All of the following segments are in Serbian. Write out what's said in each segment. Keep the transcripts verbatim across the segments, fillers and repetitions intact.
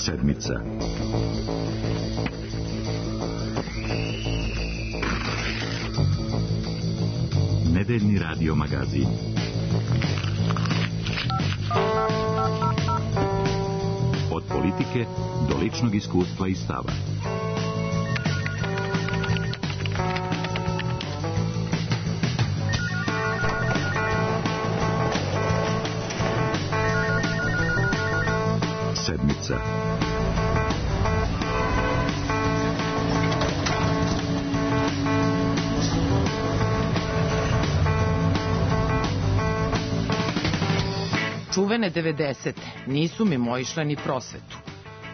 Sedmica. Nedeljni radio magazin. Od politike do ličnog iskustva i stava. Sedmica. Čuvene devedesete nisu mimoišle ni prosvetu.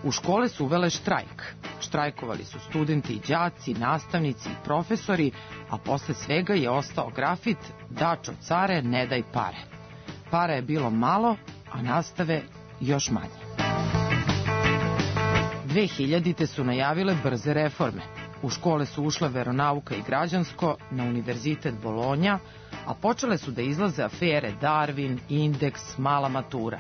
U škole su uvele štrajk. Štrajkovali su studenti i đaci, nastavnici i profesori, a posle svega je ostao grafit "Dačo care, ne daj pare". Para je bilo malo, a nastave još manje. dvehiljadite su najavile brze reforme. U škole su ušle veronauka i građansko, na univerzitet Bolonja, a počele su da izlaze afere Darwin, Indeks, mala matura.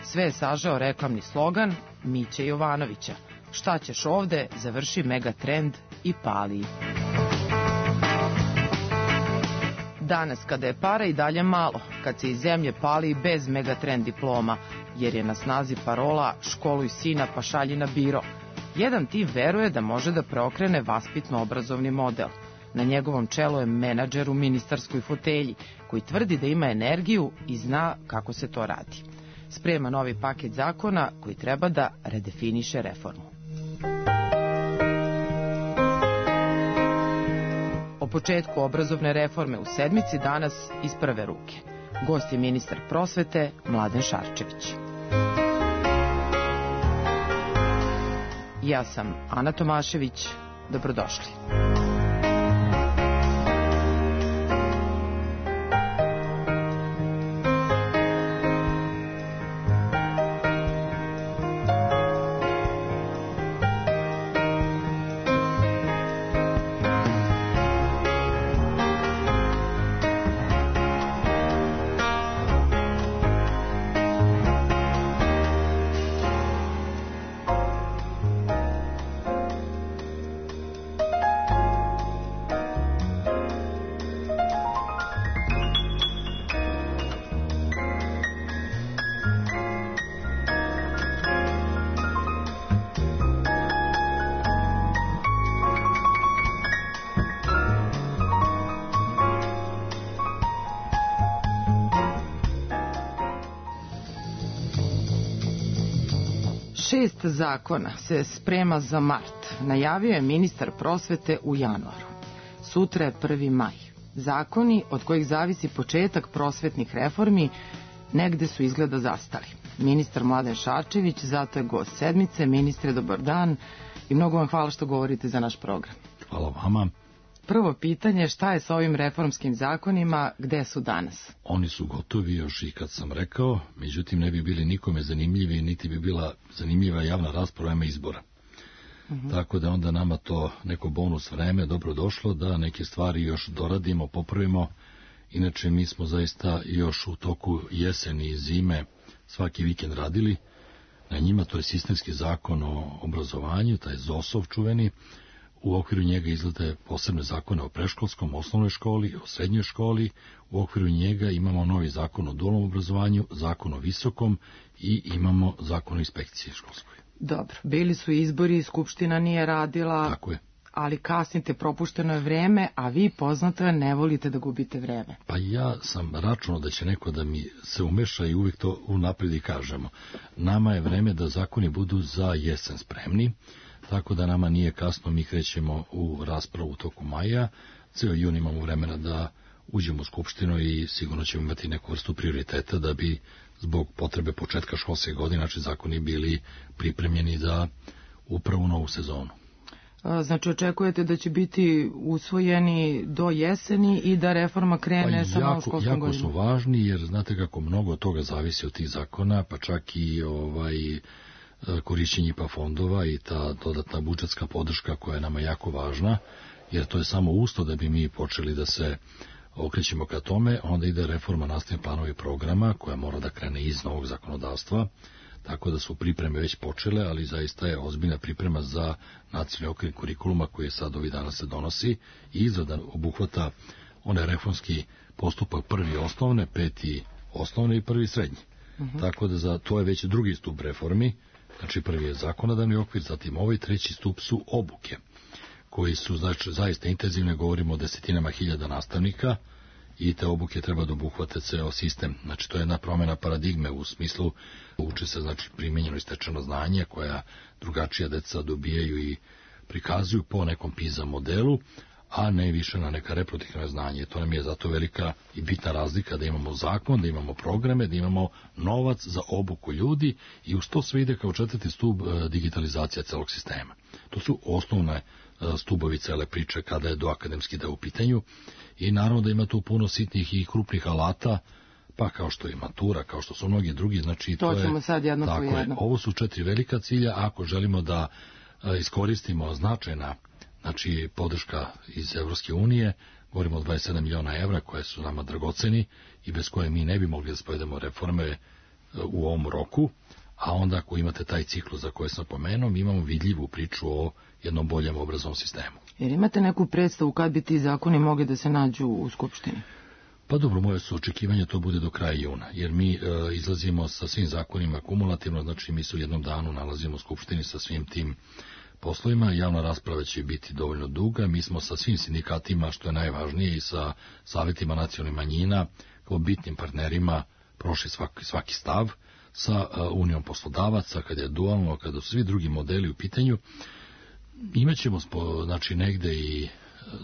Sve je sažao reklamni slogan Miće Jovanovića: "Šta ćeš ovde, završi Megatrend i pali". Danas, kada je para i dalje malo, kad se iz zemlje pali i bez Megatrend diploma, jer je na snazi parola "školuj sina pa šalji na biro", jedan tim veruje da može da preokrene vaspitno-obrazovni model. Na njegovom čelu je menadžer u ministarskoj fotelji, koji tvrdi da ima energiju i zna kako se to radi. Sprema novi paket zakona koji treba da redefiniše reformu. O početku obrazovne reforme u Sedmici danas iz prve ruke. Gost je ministar prosvete Mladen Šarčević. Ja sam Ana Tomašević. Dobrodošli. Šest zakona se sprema za mart, najavio je ministar prosvete u januaru. Sutra je prvi maj. Zakoni od kojih zavisi početak prosvetnih reformi negde su izgleda zastali. Ministar Mladen Šarčević, zato je gost Sedmice. Ministre, dobar dan i mnogo vam hvala što govorite za naš program. Hvala vama. Prvo pitanje, šta je sa ovim reformskim zakonima, gde su danas? Oni su gotovi još i kad sam rekao, međutim ne bi bili nikome zanimljivi, niti bi bila zanimljiva javna rasprava ima izbora. Uh-huh. Tako da onda nama to neko bonus vreme dobro došlo da neke stvari još doradimo, popravimo. Inače mi smo zaista još u toku jeseni i zime svaki vikend radili. Na njima to je sistemski zakon o obrazovanju, taj ZOS-ov čuveni. U okviru njega izgleda posebne zakone o preškolskom, osnovnoj školi, o srednjoj školi. U okviru njega imamo novi zakon o dualnom obrazovanju, zakon o visokom i imamo zakon o inspekciji školskoj. Dobro, bili su izbori, Skupština nije radila. Tako je. Ali kasnite, propušteno je vreme, a vi, poznato je, ne volite da gubite vreme. Pa ja sam računao da će neko da mi se umeša i uvijek to unapred i kažemo. Nama je vreme da zakoni budu za jesen spremni, tako da nama nije kasno, mi krećemo u raspravu u toku maja, ceo jun imamo vremena da uđemo u Skupštinu i sigurno ćemo imati neku vrstu prioriteta da bi zbog potrebe početka školske godine naši zakoni bili pripremljeni za upravo novu sezonu. Znači očekujete da će biti usvojeni do jeseni i da reforma krene pa sa novom školskom godinom? Jako su važni jer znate kako mnogo toga zavisi od tih zakona, pa čak i ovaj korišćenje I P A fondova i ta dodatna budžetska podrška koja je nama jako važna, jer to je samo uslov da bi mi počeli da se okrećemo ka tome. Onda ide reforma nastavnih planova i programa koja mora da krene iz novog zakonodavstva. tako da su pripreme već počele, ali zaista je ozbiljna priprema za nacionalni okvir kurikuluma koji je sad ovih dana se donosi i izrada obuhvata onaj reformski postupak prvi osnovne, peti osnovne i prvi srednji. Uh-huh. Tako da za to je već drugi stup reformi, znači prvi je zakonodavni okvir, zatim ovaj treći stup su obuke, koji su znači, zaista intenzivne, govorimo o desetinama hiljada nastavnika i te obuke treba da obuhvate ceo sistem. Znači to je jedna promjena paradigme u smislu uče se znači primenjeno i stečeno znanje koja drugačija deca dobijaju i prikazuju po nekom PISA modelu, a ne više na neka reproduktivna znanje. To nam je zato velika i bitna razlika da imamo zakon, da imamo programe, da imamo novac za obuku ljudi i uz to sve ide kao četvrti stub digitalizacija celog sistema. To su osnovne stubovi cele priče kada je do akademski da u pitanju i naravno da ima tu puno sitnih i krupnih alata, pa kao što je matura, kao što su mnogi drugi, znači to, to ćemo je, sad jedno tako po jedno. Je, ovo su četiri velika cilja, ako želimo da iskoristimo značajna znači podrška iz Evropske unije, govorimo o dvadeset sedam miliona evra koje su nama dragoceni i bez koje mi ne bi mogli da spovedemo reforme u ovom roku, a onda ako imate taj ciklus za koje sam pomenuo, mi imamo vidljivu priču o jednom boljem obrazovnom sistemu. Jer imate neku predstavu kad bi ti zakoni mogli da se nađu u Skupštini? Pa dobro, moje su očekivanje to bude do kraja juna, jer mi e, izlazimo sa svim zakonima kumulativno, znači mi se u jednom danu nalazimo u Skupštini sa svim tim poslovima, javna rasprava će biti dovoljno duga, mi smo sa svim sindikatima, što je najvažnije, i sa savjetima nacionalnih manjina, kao bitnim partnerima, prošli svaki, svaki stav, sa uh, unijom poslodavaca, kada je dualno, kada su svi drugi modeli u pitanju, imaćemo spo, znači negde i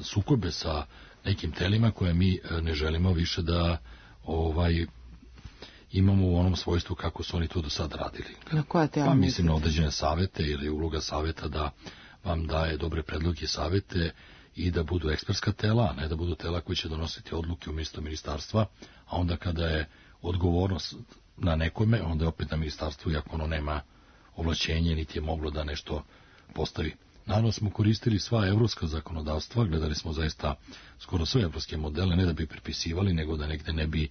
sukobe sa nekim telima koje mi ne želimo više da ovaj imamo u onom svojstvu kako su oni to do sad radili. Na koja tela pa mislim mislite? Na određene savete ili uloga saveta da vam daje dobre predloge i savete i da budu ekspertska tela, a ne da budu tela koji će donositi odluke umjesto ministarstva, a onda kada je odgovornost na nekome, onda je opet na ministarstvu, iako ono nema ovlaćenje, niti je moglo da nešto postavi. Naravno smo koristili sva evropska zakonodavstva, gledali smo zaista skoro sve evropske modele, ne da bi prepisivali, nego da negde ne bi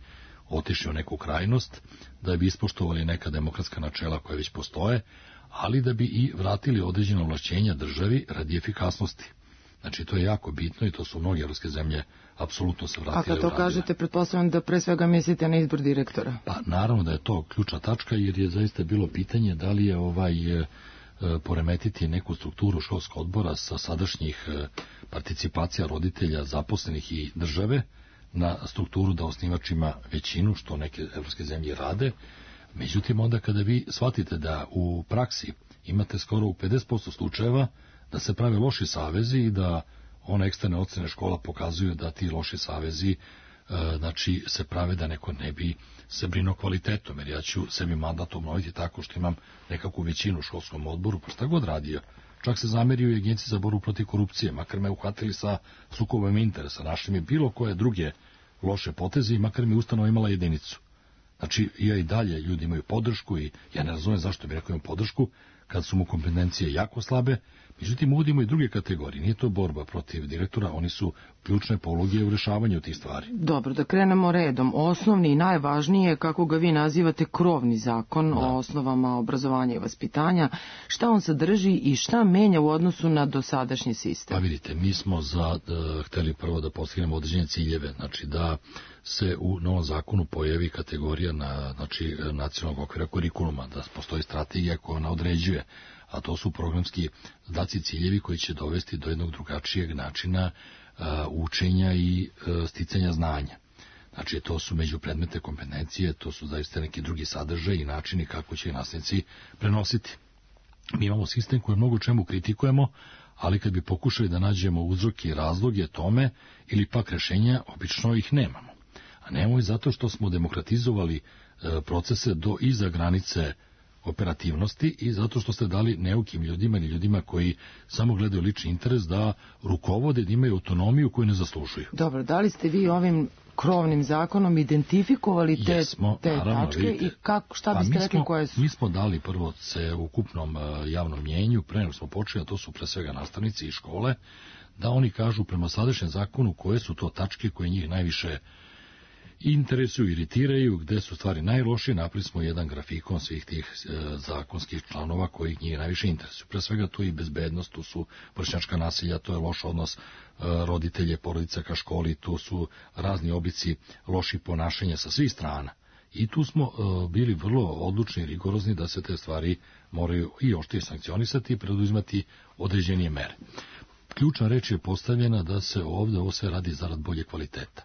otišli u neku krajnost, da bi ispoštovali neka demokratska načela koja već postoje, ali da bi i vratili određena ovlašćenja državi radi efikasnosti. Znači to je jako bitno i to su mnoge evropske zemlje apsolutno se vratile. A kad to uradile. kažete, pretpostavljam da pre svega mislite na izbor direktora. Pa naravno da je to ključna tačka, jer je zaista bilo pitanje da li je ovaj... poremetiti neku strukturu školskog odbora sa sadašnjih participacija roditelja, zaposlenih i države na strukturu da osnivač ima većinu, što neke evropske zemlje rade. Međutim, onda kada vi shvatite da u praksi imate skoro u pedeset posto slučajeva da se prave loši savezi i da one eksterne ocene škola pokazuju da ti loši savezi znači se prave da neko ne bi se brinuo kvalitetom, jer ja ću sebi mandat obnoviti tako što imam nekakvu većinu u školskom odboru, pa šta god radio. Čak se zamerio i agenciji za borbu protiv korupcije, makar me uhvatili sa sukobom interesa, našli mi bilo koje druge loše poteze i makar mi ustanova imala jedinicu. Znači, ja i dalje ljudi imaju podršku i ja ne razumem zašto bi rekao imam podršku kad su mu kompetencije jako slabe. Međutim, uvodimo i druge kategorije. Nije to borba protiv direktora, oni su ključne poluge u rešavanju tih stvari. Dobro, da krenemo redom. Osnovni i najvažniji je, kako ga vi nazivate, krovni zakon da. O osnovama obrazovanja i vaspitanja. Šta on sadrži i šta menja u odnosu na dosadašnji sistem? Pa vidite, mi smo za, da, hteli prvo da postignemo određene ciljeve, znači da se u novom zakonu pojavi kategorija na, znači, nacionalnog okvira kurikuluma, da postoji strategija koja ona određuje, a to su programski zadaci, ciljevi koji će dovesti do jednog drugačijeg načina uh, učenja i uh, sticanja znanja. Znači, to su međupredmetne kompetencije, to su zaista neki drugi sadržaj i načini kako će nastavnici prenositi. Mi imamo sistem koji mnogo čemu kritikujemo, ali kad bi pokušali da nađemo uzroke i razloge tome ili pak rešenja, obično ih nemamo. A nemamo i zato što smo demokratizovali uh, procese do iza granice operativnosti i zato što ste dali neukim ljudima ili ljudima koji samo gledaju lični interes da rukovode, da imaju autonomiju koju ne zaslužuju. Dobro, da li ste vi ovim krovnim zakonom identifikovali te, Jesmo, te naravno, tačke vidite, i kako, šta pa biste mi rekli smo, koje su? Mi smo dali prvo se u ukupnom uh, javnom mjenju, pre nego smo počeli, a to su pre svega nastavnici i škole, da oni kažu prema sadašnjem zakonu koje su to tačke koje njih najviše interesuju, iritiraju, gde su stvari najlošije. Napravili smo jedan grafikon svih tih e, zakonskih članova koji njih najviše interesuju. Pre svega tu i bezbednost, tu su vršnjačka nasilja, to je loš odnos e, roditelje, porodica ka školi, tu su razni oblici loših ponašanja sa svih strana. I tu smo e, bili vrlo odlučni i rigorozni da se te stvari moraju i oštrije sankcionisati i preduzimati određenije mere. Ključna reč je postavljena da se ovde ovo sve radi zarad bolje kvaliteta.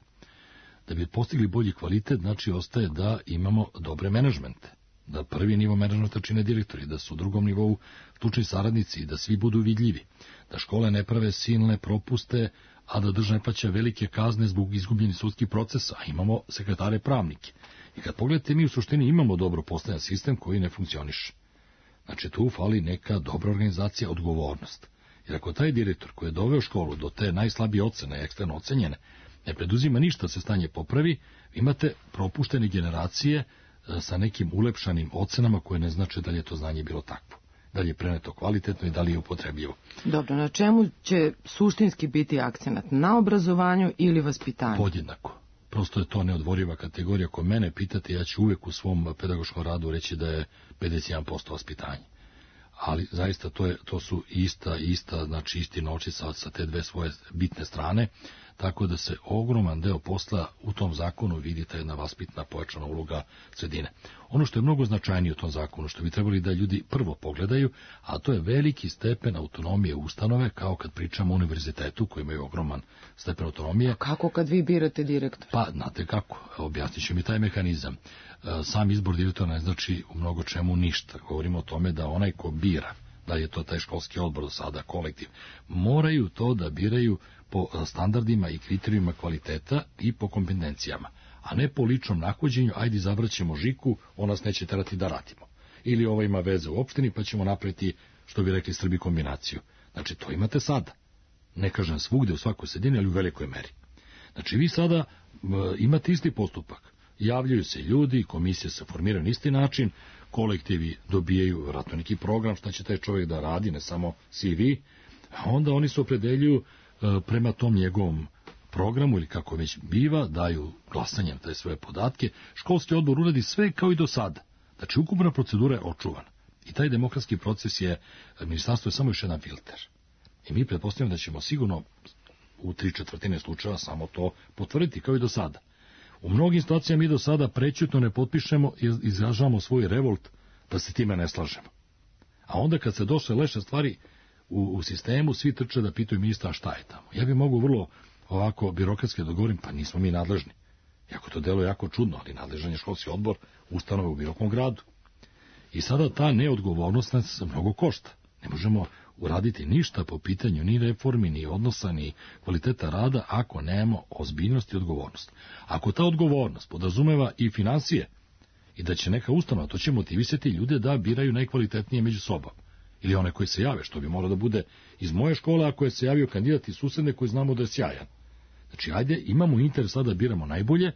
Da bi postigli bolji kvalitet, znači ostaje da imamo dobre menadžmente, da prvi nivo menadžmenta čine direktori, da su u drugom nivou stručni saradnici i da svi budu vidljivi, da škole ne prave silne propuste, a da država ne plaća velike kazne zbog izgubljenih sudskih procesa, a imamo sekretare pravnike. I kad pogledate, mi u suštini imamo dobro postavljen sistem koji ne funkcioniše. Znači tu fali neka dobra organizacija, odgovornost. Jer ako taj direktor koji je doveo školu do te najslabije ocene, eksterno ocenjene, ne preduzima ništa se stanje popravi, imate propuštene generacije sa nekim ulepšanim ocenama koje ne znače da li je to znanje bilo takvo, da li je preneto kvalitetno i da li je upotrebljivo. Dobro, na čemu će suštinski biti akcenat? Na obrazovanju ili vaspitanju? Podjednako. Prosto je to neodvoriva kategorija. Ako mene pitate, ja ću uvek u svom pedagoškom radu reći da je pedeset jedan posto vaspitanje. Ali zaista to, je, to su ista, ista, znači isti novčica sa te dve svoje bitne strane, tako da se ogroman deo posla u tom zakonu vidi ta jedna vaspitna pojačana uloga sredine. Ono što je mnogo značajnije u tom zakonu, što bi trebali da ljudi prvo pogledaju, a to je veliki stepen autonomije ustanove, kao kad pričamo o univerzitetu koji imaju ogroman stepen autonomije. A kako kad vi birate direktora? Pa, znate kako, objasnit ću mi taj mehanizam. Sam izbor direktora ne znači u mnogo čemu ništa. Govorimo o tome da onaj ko bira, da je to taj školski odbor do sada, kolektiv, moraju to da biraju po standardima i kriterijima kvaliteta i po kompetencijama, a ne po ličnom nahođenju, ajde izabraćemo Žiku, on nas neće terati da radimo. Ili ovo ima veze u opštini, pa ćemo napraviti, što bi rekli Srbi, kombinaciju. Znači, to imate sada. Ne kažem svugde u svakoj sredini, ali u velikoj meri. Znači, vi sada e, imate isti postupak. Javljaju se ljudi, komisije se formiraju na isti način, kolektivi dobijaju vjerojatno neki program šta će taj čovjek da radi, ne samo C V, a onda oni se opredeljuju e, prema tom njegovom programu ili kako već biva, daju glasanjem te svoje podatke, školski odbor uradi sve kao i do sada. Znači, ukupna procedura je očuvana. I taj demokratski proces je, ministarstvo je samo još jedan filter. I mi pretpostavljamo da ćemo sigurno u tri četvrtine slučajeva samo to potvrditi kao i do sada. U mnogim situacijama mi do sada prećutno ne potpišemo i izražavamo svoj revolt da se time ne slažemo. A onda kad se došle leše stvari u, u sistemu, svi trče da pitaju ministra šta je tamo. Ja bih mogu vrlo ovako birokratski da govorim, pa nismo mi nadležni. Jako to deluje jako čudno, ali nadležan je školski odbor ustanove u bilo kom gradu. I sada ta neodgovornost nas mnogo košta. Ne možemo uraditi ništa po pitanju ni reformi, ni odnosa, ni kvaliteta rada ako nemamo ozbiljnost i odgovornost. Ako ta odgovornost podrazumeva i financije i da će neka ustanova, to će motivisati ljude da biraju najkvalitetnije među sobom. Ili one koji se jave, što bi moralo da bude iz moje škole, ako je se javio kandidat iz susedne koji znamo da je sjajan. Znači, ajde, imamo interes sada da biramo najbolje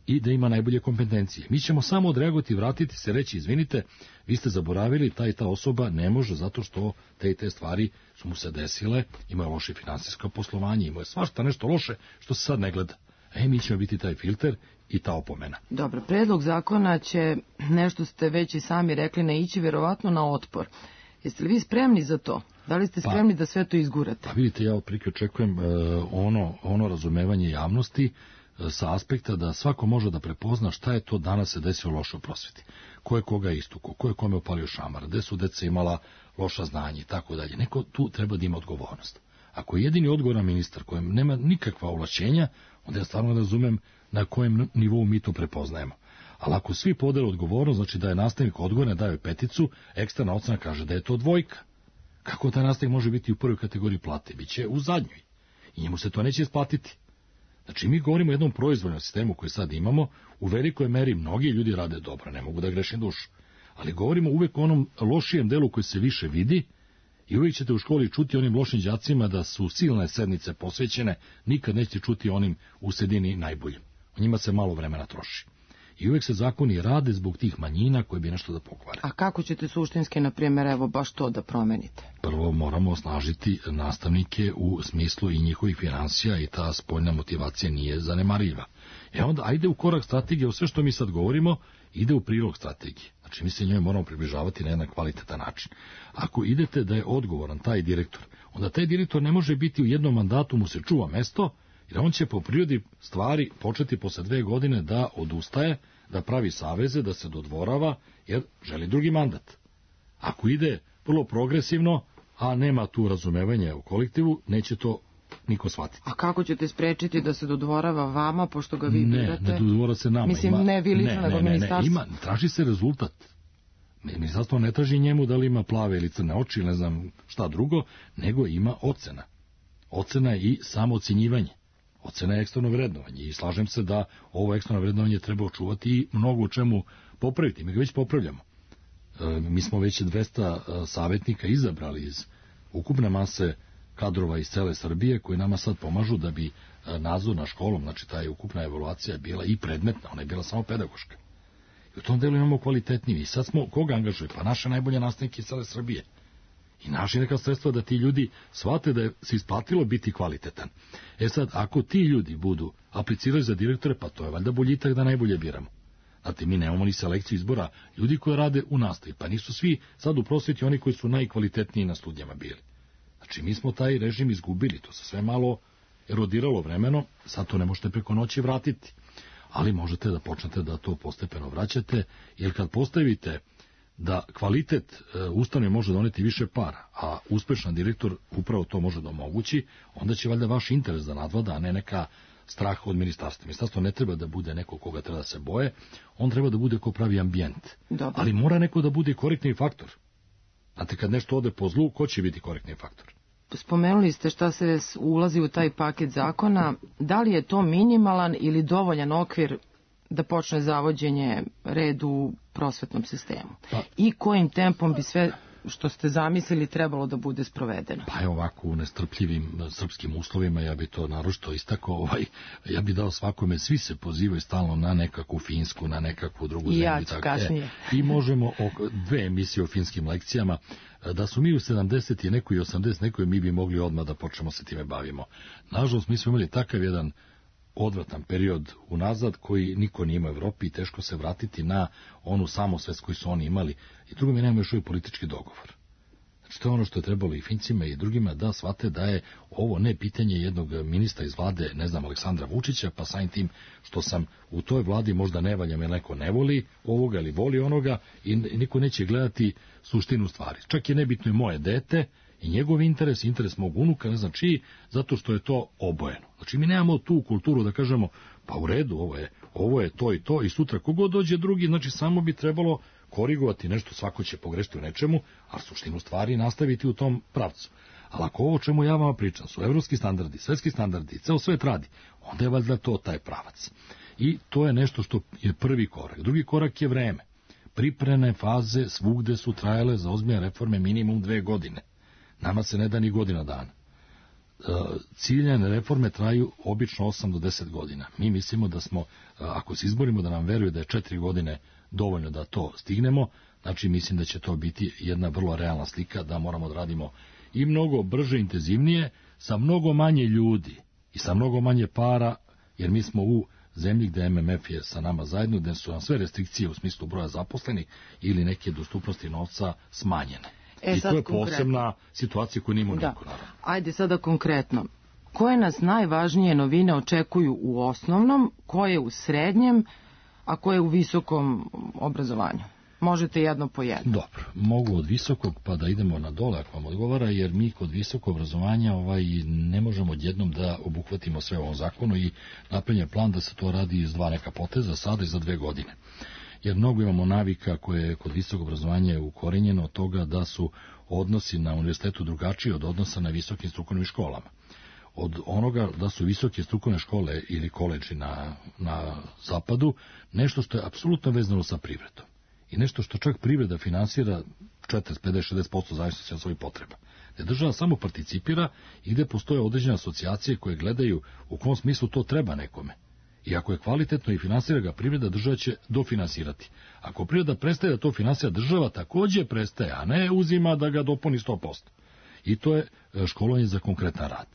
i da ima najbolje kompetencije. Mi ćemo samo odreagovati, vratiti se, reći, izvinite, vi ste zaboravili, ta i ta osoba ne može zato što te i te stvari su mu se desile, imaju loše finansijsko poslovanje, imaju svašta nešto loše što se sad ne gleda. E, mi ćemo biti taj filter i ta opomena. Dobro, predlog zakona će, nešto ste već i sami rekli, naići verovatno na otpor. Jeste li vi spremni za to? Da li ste spremni pa, da sve to izgurate? Pa vidite, ja otprilike očekujem uh, ono, ono razumevanje javnosti uh, sa aspekta da svako može da prepozna šta je to danas se desilo loše u prosveti. Ko je koga istuko, ko je kome opalio šamar, gde su deca imala loša znanja i tako dalje. Neko tu treba da ima odgovornost. Ako je jedini odgovoran ministar kojem nema nikakva ovlašćenja, onda ja stvarno ne razumem na kojem nivou mi to prepoznajemo. Ali ako svi podele odgovornost, znači da je nastavnik odgovoran, daje peticu, eksterna ocena kaže da je to dvojka. Kako taj nastavnik može biti u prvoj kategoriji plate? Biće u zadnjoj. I njemu se to neće isplatiti. Znači, mi govorimo o jednom proizvodnom sistemu koji sad imamo, u velikoj meri mnogi ljudi rade dobro, ne mogu da grešim dušu. Ali govorimo uvek o onom lošijem delu koji se više vidi i uvijek ćete u školi čuti onim lošim đacima da su silne sednice posvećene, nikad nećete čuti onim u sredini najboljim. O njima se malo vremena troši. I uvijek se zakoni rade zbog tih manjina koji bi nešto da pokvare. A kako ćete suštinski, na primjer, evo baš to da promenite? Prvo moramo osnažiti nastavnike u smislu i njihovih finansija i ta spoljna motivacija nije zanemariva. E onda, ajde u korak strategije, sve što mi sad govorimo, ide u prilog strategije. Znači, mi se njoj moramo približavati na jedan kvalitetan način. Ako idete da je odgovoran taj direktor, onda taj direktor ne može biti u jednom mandatu, mu se čuva mesto, jer on će po prirodi stvari početi posle dve godine da odustaje, da pravi saveze, da se dodvorava, jer želi drugi mandat. Ako ide vrlo progresivno, a nema tu razumevanja u kolektivu, neće to niko shvatiti. A kako ćete sprečiti da se dodvorava vama, pošto ga vi ne, birate? Ne, ne dodvora se nama. Mislim, ima, ne vi lično, nego ministarstvo. Ima, traži se rezultat. Ministarstvo ne traži njemu da li ima plave ili crne oči, ne znam šta drugo, nego ima ocena. Ocena je i samoocenjivanje. Ocena je eksterno vrednovanje i slažem se da ovo eksterno vrednovanje treba očuvati i mnogo u čemu popraviti. Mi ga već popravljamo. E, mi smo već dvesta savjetnika izabrali iz ukupne mase kadrova iz cele Srbije koji nama sad pomažu da bi nadzor na školom, znači ta je ukupna evaluacija bila i predmetna, ona je bila samo pedagoška. I u tom delu imamo kvalitetniji. I sad smo, koga angažuje? Pa naše najbolje nastavnike iz cele Srbije. I naši neka sredstva da ti ljudi shvate da je se isplatilo biti kvalitetan. E sad, ako ti ljudi budu aplicirali za direktore, pa to je valjda boljitak da najbolje biramo. Znate, mi nemamo ni selekciju izbora ljudi koji rade u nastavi, pa nisu svi sad u prosveti oni koji su najkvalitetniji na studijama bili. Znači, mi smo taj režim izgubili, to se sve malo erodiralo vremeno, sad to ne možete preko noći vratiti, ali možete da počnete da to postepeno vraćate, jer kad postavite da kvalitet e, ustanove može doneti više para, a uspešan direktor upravo to može da omogući, onda će valjda vaš interes da nadvlada, a ne neka strah od ministarstva. Ministarstvo ne treba da bude neko koga treba da se boje, on treba da bude ko pravi ambijent. Dobro. Ali mora neko da bude korektni faktor. Znate, kad nešto ode po zlu, ko će biti korektni faktor? Spomenuli ste šta se ulazi u taj paket zakona. Da li je to minimalan ili dovoljan okvir da počne zavođenje redu u prosvetnom sistemu? Pa, i kojim tempom bi sve što ste zamislili trebalo da bude sprovedeno? Pa je ovako u nestrpljivim srpskim uslovima, ja bi to naročito istakao, ovaj, ja bi dao svakome, svi se pozivaju stalno na nekakvu Finsku, na nekakvu drugu zemlju. I ja ću kasnije. E, I možemo oko dve emisije o finskim lekcijama, da su mi u sedamdeset i neko i osamdeset nekoj, mi bi mogli odmah da počnemo se time bavimo. Nažalost, mi smo imali takav jedan odvratan period unazad koji niko nije imao u Evropi i teško se vratiti na onu samosvest koju su oni imali. I drugo, mi nemamo još uvijek politički dogovor. Znači, to je ono što je trebalo i Fincima i drugima da shvate da je ovo ne pitanje jednog ministra iz vlade, ne znam, Aleksandra Vučića, pa samim tim što sam u toj vladi možda ne valjam jer neko ne voli ovoga ili voli onoga i niko neće gledati suštinu stvari. Čak je nebitno i moje dete i njegov interes, interes mog unuka, ne znam čiji, zato što je to obojeno. Znači, mi nemamo tu kulturu da kažemo, pa u redu, ovo je, ovo je to i to i sutra kogod dođe drugi, znači samo bi trebalo korigovati nešto, svako će pogrešiti u nečemu, a suštinu stvari nastaviti u tom pravcu. Ali ako ovo čemu ja vama pričam su evropski standardi, svetski standardi, ceo svet radi, onda je valjda to taj pravac. I to je nešto što je prvi korak. Drugi korak je vreme. Pripremne faze svugde su trajale za ozbiljne reforme minimum dve godine. Nama se ne da ni godina dana. Ciljane reforme traju obično osam do deset godina. Mi mislimo da smo, ako se izborimo da nam veruje da je četiri godine dovoljno da to stignemo, znači mislim da će to biti jedna vrlo realna slika, da moramo da radimo i mnogo brže, intenzivnije, sa mnogo manje ljudi i sa mnogo manje para, jer mi smo u zemlji gde M M F je sa nama zajedno, gde su nam sve restrikcije u smislu broja zaposlenih ili neke dostupnosti novca smanjene. E, I to je posebna situacija koju nima niko, naravno. Ajde sada konkretno. Koje nas najvažnije novine očekuju u osnovnom, koje u srednjem, a koje u visokom obrazovanju? Možete jedno po jedno. Dobro, mogu od visokog pa da idemo na dole ako vam odgovara, jer mi kod visokog obrazovanja ovaj, ne možemo odjednom da obuhvatimo sve u ovom zakonu i napravljen plan da se to radi iz dva neka poteza sada i za dve godine. Jer mnogo imamo navika koje je kod visokog obrazovanja ukorenjeno od toga da su odnosi na univerzitetu drugačiji od odnosa na visokim strukovnim školama. Od onoga da su visoke strukovne škole ili koledži na, na zapadu nešto što je apsolutno vezano sa privredom. I nešto što čak privreda finansira četrdeset, pedeset, šezdeset posto zavisnosti od svojih potreba. Gde država samo participira i gde postoje određene asocijacije koje gledaju u kom smislu to treba nekome. I ako je kvalitetno i finansira ga privreda, država će dofinansirati. Ako privreda prestaje da to finansira, država takođe prestaje, a ne uzima da ga dopuni sto posto. I to je školovanje za konkretan rad.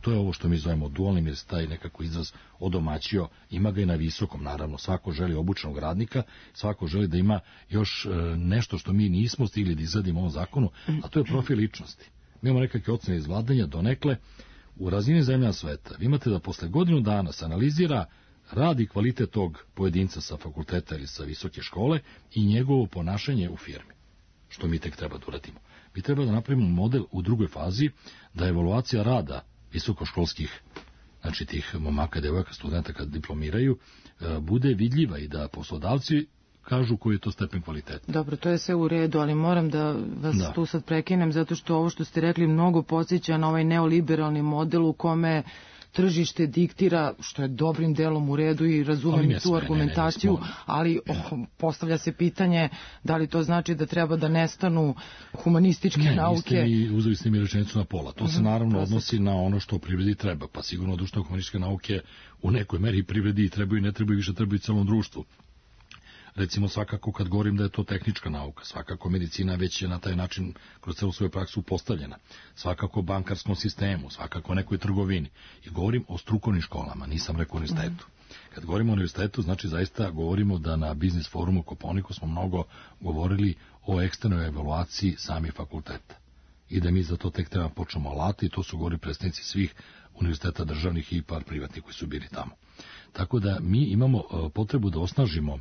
to je ovo što mi zovemo dualnim, jer se taj nekako izraz odomaćio, ima ga i na visokom, naravno. Svako želi obučenog radnika, svako želi da ima još nešto što mi nismo stigli da izradimo u ovom zakonu, a to je profil ličnosti. Mi imamo nekakve ocene iz vladanja, donekle, u razini zemlja sveta. Vi imate da posle godinu dana se analizira rad i kvalitet tog pojedinca sa fakulteta ili sa visoke škole i njegovo ponašanje u firmi. Što mi tek treba da uradimo? Mi treba da napravimo model u drugoj fazi, da evaluacija rada visokoškolskih, znači tih momaka, devojaka, studenta kad diplomiraju, bude vidljiva i da poslodavci kažu koji je to stepen kvaliteta. Dobro, to je sve u redu, ali moram da vas da. tu sad prekinem, zato što ovo što ste rekli mnogo podsjeća na ovaj neoliberalni model u kome tržište diktira, što je dobrim delom u redu i razumem tu argumentaciju, ne, ne, ne, ali oh, postavlja se pitanje da li to znači da treba da nestanu humanističke ne, nauke. Ne, niste mi, uzeli ste mi rečenicu na pola. To se naravno odnosi na ono što u privredi treba, pa sigurno društveno humanističke nauke u nekoj meri privredi i trebaju i ne trebaju, više trebaju celom društvu. Recimo svakako kad govorim da je to tehnička nauka, svakako medicina već je na taj način kroz celu svoju praksu postavljena, svakako bankarskom sistemu, svakako nekoj trgovini. I govorim o strukovnim školama, nisam rekao univerzitetu. Kad govorimo o univerzitetu, znači zaista govorimo da na biznis forumu Kopaoniku smo mnogo govorili o eksternoj evaluaciji samih fakulteta. I da mi za to tek treba počnemo alati, i to su govorili predstavnici svih univerziteta državnih i par privatnih koji su bili tamo. Tako da mi imamo potrebu da osnažimo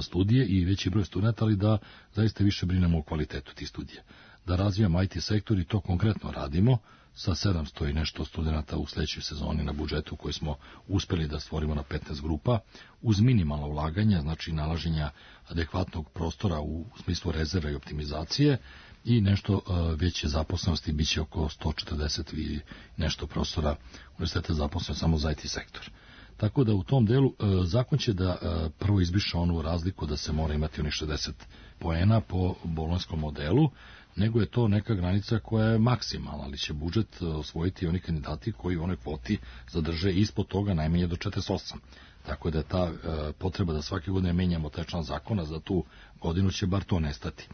studije i veći broj studenta, ali da zaista više brinemo o kvalitetu tih studija. Da razvijamo I T sektor i to konkretno radimo sa sedamsto i nešto studenta u sledećoj sezoni na budžetu koji smo uspeli da stvorimo na petnaest grupa uz minimalno ulaganja, znači nalaženja adekvatnog prostora u smislu rezerva i optimizacije i nešto veće zaposlenosti, bit će oko sto četrdeset i nešto prostora univerziteta zaposleno samo za I T sektor. Tako da u tom delu e, zakon će da e, prvo izbriše onu razliku da se mora imati onih šezdeset poena po bolonjskom modelu, nego je to neka granica koja je maksimalna, ali će budžet osvojiti oni kandidati koji u onoj kvoti zadrže ispod toga najmanje do četrdeset osam. Tako da je ta e, potreba da svake godine menjamo taj član zakona, za tu godinu će bar to nestati.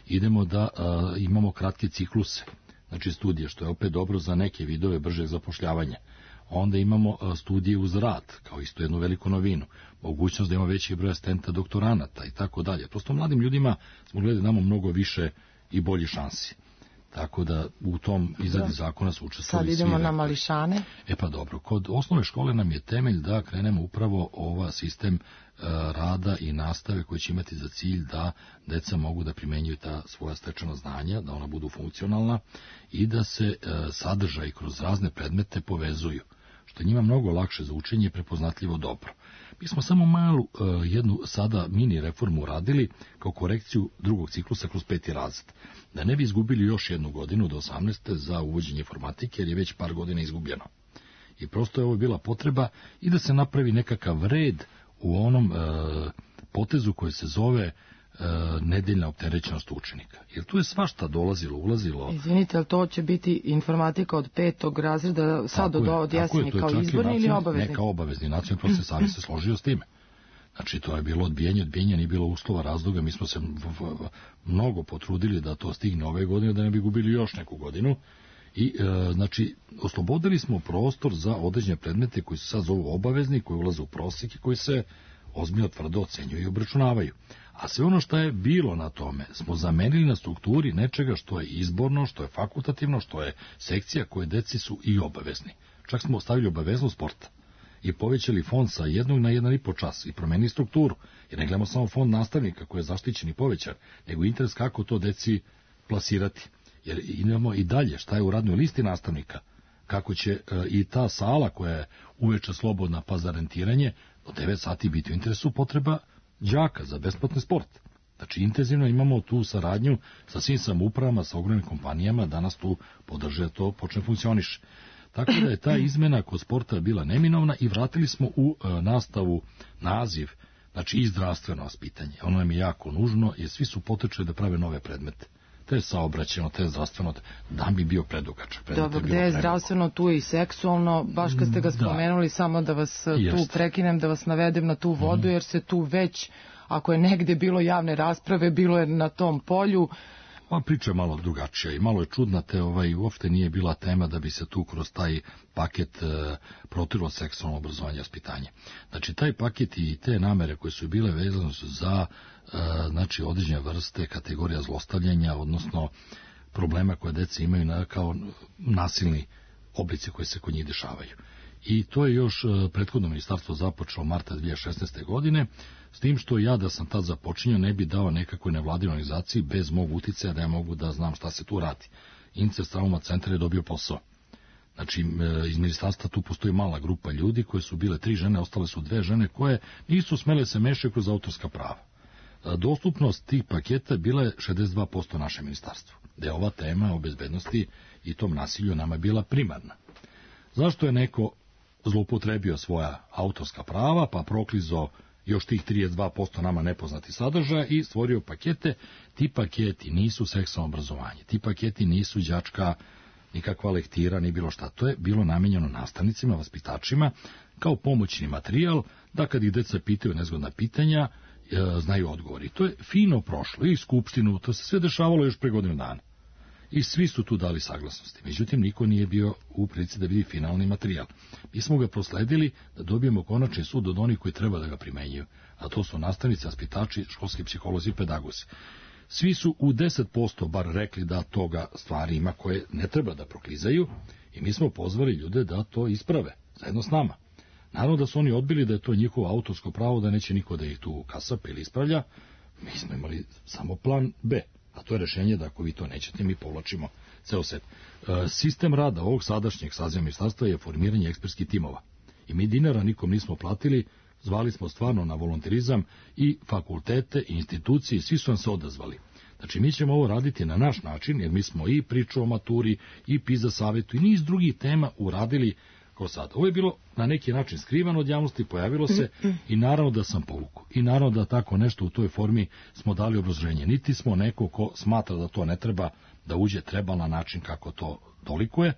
Idemo da e, imamo kratke cikluse, znači studije, što je opet dobro za neke vidove bržeg zapošljavanja. Onda imamo studije uz rad, kao isto jednu veliku novinu, mogućnost da ima veći broj asistenta, doktoranata i tako dalje. Prosto mladim ljudima smo gledali da imamo mnogo više i bolji šansi. Tako da u tom izradi zakona su učestvovali svi. Sad idemo na mališane. E pa dobro, kod osnovne škole nam je temelj da krenemo upravo ova sistem rada i nastave koji će imati za cilj da deca mogu da primenjuju ta svoja stečena znanja, da ona budu funkcionalna i da se sadržaj kroz razne predmete povezuju, što je njima mnogo lakše za učenje i prepoznatljivo dobro. Mi smo samo malu jednu sada mini reformu uradili kao korekciju drugog ciklusa kroz peti razred, da ne bi izgubili još jednu godinu do osamnaeste za uvođenje informatike, jer je već par godina izgubljeno. I prosto je ovo bila potreba i da se napravi nekakav red u onom e, potezu koji se zove e, nedeljna opterećenost učenika. Jer tu je svašta dolazilo, ulazilo. Izvinite, ali to će biti informatika od petog razreda, sad od, od jeseni kao izborni ili obavezni? Ne, kao obavezni. Nacionalni prosvetni savjet se složio s time. Znači, to je bilo odbijanje, odbijanje, nije bilo uslova, razloga. Mi smo se v, v, v, mnogo potrudili da to stigne ove godine, da ne bi gubili još neku godinu. I, e, znači, oslobodili smo prostor za određene predmete koji se sad zovu obavezni, koji ulaze u prosjek i koji se ozbiljno tvrdo ocenjuju i obračunavaju. A sve ono što je bilo na tome smo zamenili na strukturi nečega što je izborno, što je fakultativno, što je sekcija koje deci su i obavezni. Čak smo ostavili obaveznost sporta i povećali fond sa jednog na jedan i po čas i promenili strukturu. Jer ne gledamo samo fond nastavnika koji je zaštićen i povećan, nego interes kako to deci plasirati. Jer imamo i dalje šta je u radnoj listi nastavnika, kako će e, i ta sala koja je uveče slobodna pa za rentiranje, do devet sati biti u interesu potreba đaka za besplatni sport. Znači intenzivno imamo tu saradnju sa svim samoupravama, sa ogromnim kompanijama, danas tu podrže to počne funkcioniše. Tako da je ta izmena kod sporta bila neminovna i vratili smo u e, nastavu naziv, znači i zdravstveno vaspitanje. Ono nam je jako nužno jer svi su potečali da prave nove predmete. Te saobraćeno, te zdravstveno, da bi bio predugačak. Dobro, gde je zdravstveno, tu je i seksualno, baš kad ste ga spomenuli, da. Samo da vas Jest. tu prekinem, da vas navedem na tu vodu, mm. jer se tu već, ako je negde bilo javne rasprave, bilo je na tom polju, Pa priča je malo drugačija i malo je čudna, te ovaj, uopšte nije bila tema da bi se tu kroz taj paket e, protiralo seksualno obrazovanje i vaspitanje. Znači, taj paket i te namere koje su bile vezane su za e, znači, određene vrste kategorija zlostavljanja, odnosno problema koje deca imaju na, kao nasilni oblici koji se kod njih dešavaju. I to je još prethodno ministarstvo započelo marta dve hiljade šesnaeste. godine, s tim što ja da sam tad započinjao ne bi dao nekakvoj nevladinoj organizaciji bez mog uticaja da ja mogu da znam šta se tu radi. Incest Trauma centar je dobio posao. Znači, iz ministarstva tu postoji mala grupa ljudi koje su bile tri žene, ostale su dve žene koje nisu smele se mešati kroz autorska prava. Dostupnost tih paketa bila je šezdeset dva posto naše ministarstvo, da je ova tema o bezbednosti i tom nasilju nama bila primarna. Zašto je neko zloupotrebio svoja autorska prava, pa proklizo još tih trideset dva posto nama nepoznati sadržaja i stvorio pakete? Ti paketi nisu seksualno obrazovanje, ti paketi nisu đačka nikakva lektira, ni bilo šta. To je bilo namenjeno nastavnicima, vaspitačima, kao pomoćni materijal, da kad ih deca pitaju nezgodna pitanja, e, znaju odgovori. To je fino prošlo i skupštinu, to se sve dešavalo još pre godinu dana. I svi su tu dali saglasnosti. Međutim, niko nije bio u prilici da vidi finalni materijal. Mi smo ga prosledili da dobijemo konačni sud od onih koji treba da ga primenjuju, a to su nastavnici, vaspitači, školski psiholozi i pedagozi. Svi su u deset posto bar rekli da toga stvari ima koje ne treba da proklizaju i mi smo pozvali ljude da to isprave, zajedno s nama. Naravno da su oni odbili da je to njihovo autorsko pravo, da neće niko da ih tu kasapa ili ispravlja. Mi smo imali samo plan B. A to je rešenje da ako vi to nećete, mi povlačimo ceo set. E, sistem rada ovog sadašnjeg saziva ministarstva je formiranje ekspertskih timova. I mi dinara nikom nismo platili, zvali smo stvarno na volonterizam i fakultete i institucije, svi su nam se odazvali. Znači, mi ćemo ovo raditi na naš način, jer mi smo i priču o maturi, i PISA savetu, i niz drugih tema uradili kao sad. Ovo je bilo na neki način skrivano od javnosti, pojavilo se i naravno da sam povukao. I naravno da tako nešto u toj formi smo dali obrazloženje. Niti smo neko ko smatra da to ne treba da uđe, treba na način kako to dolikuje.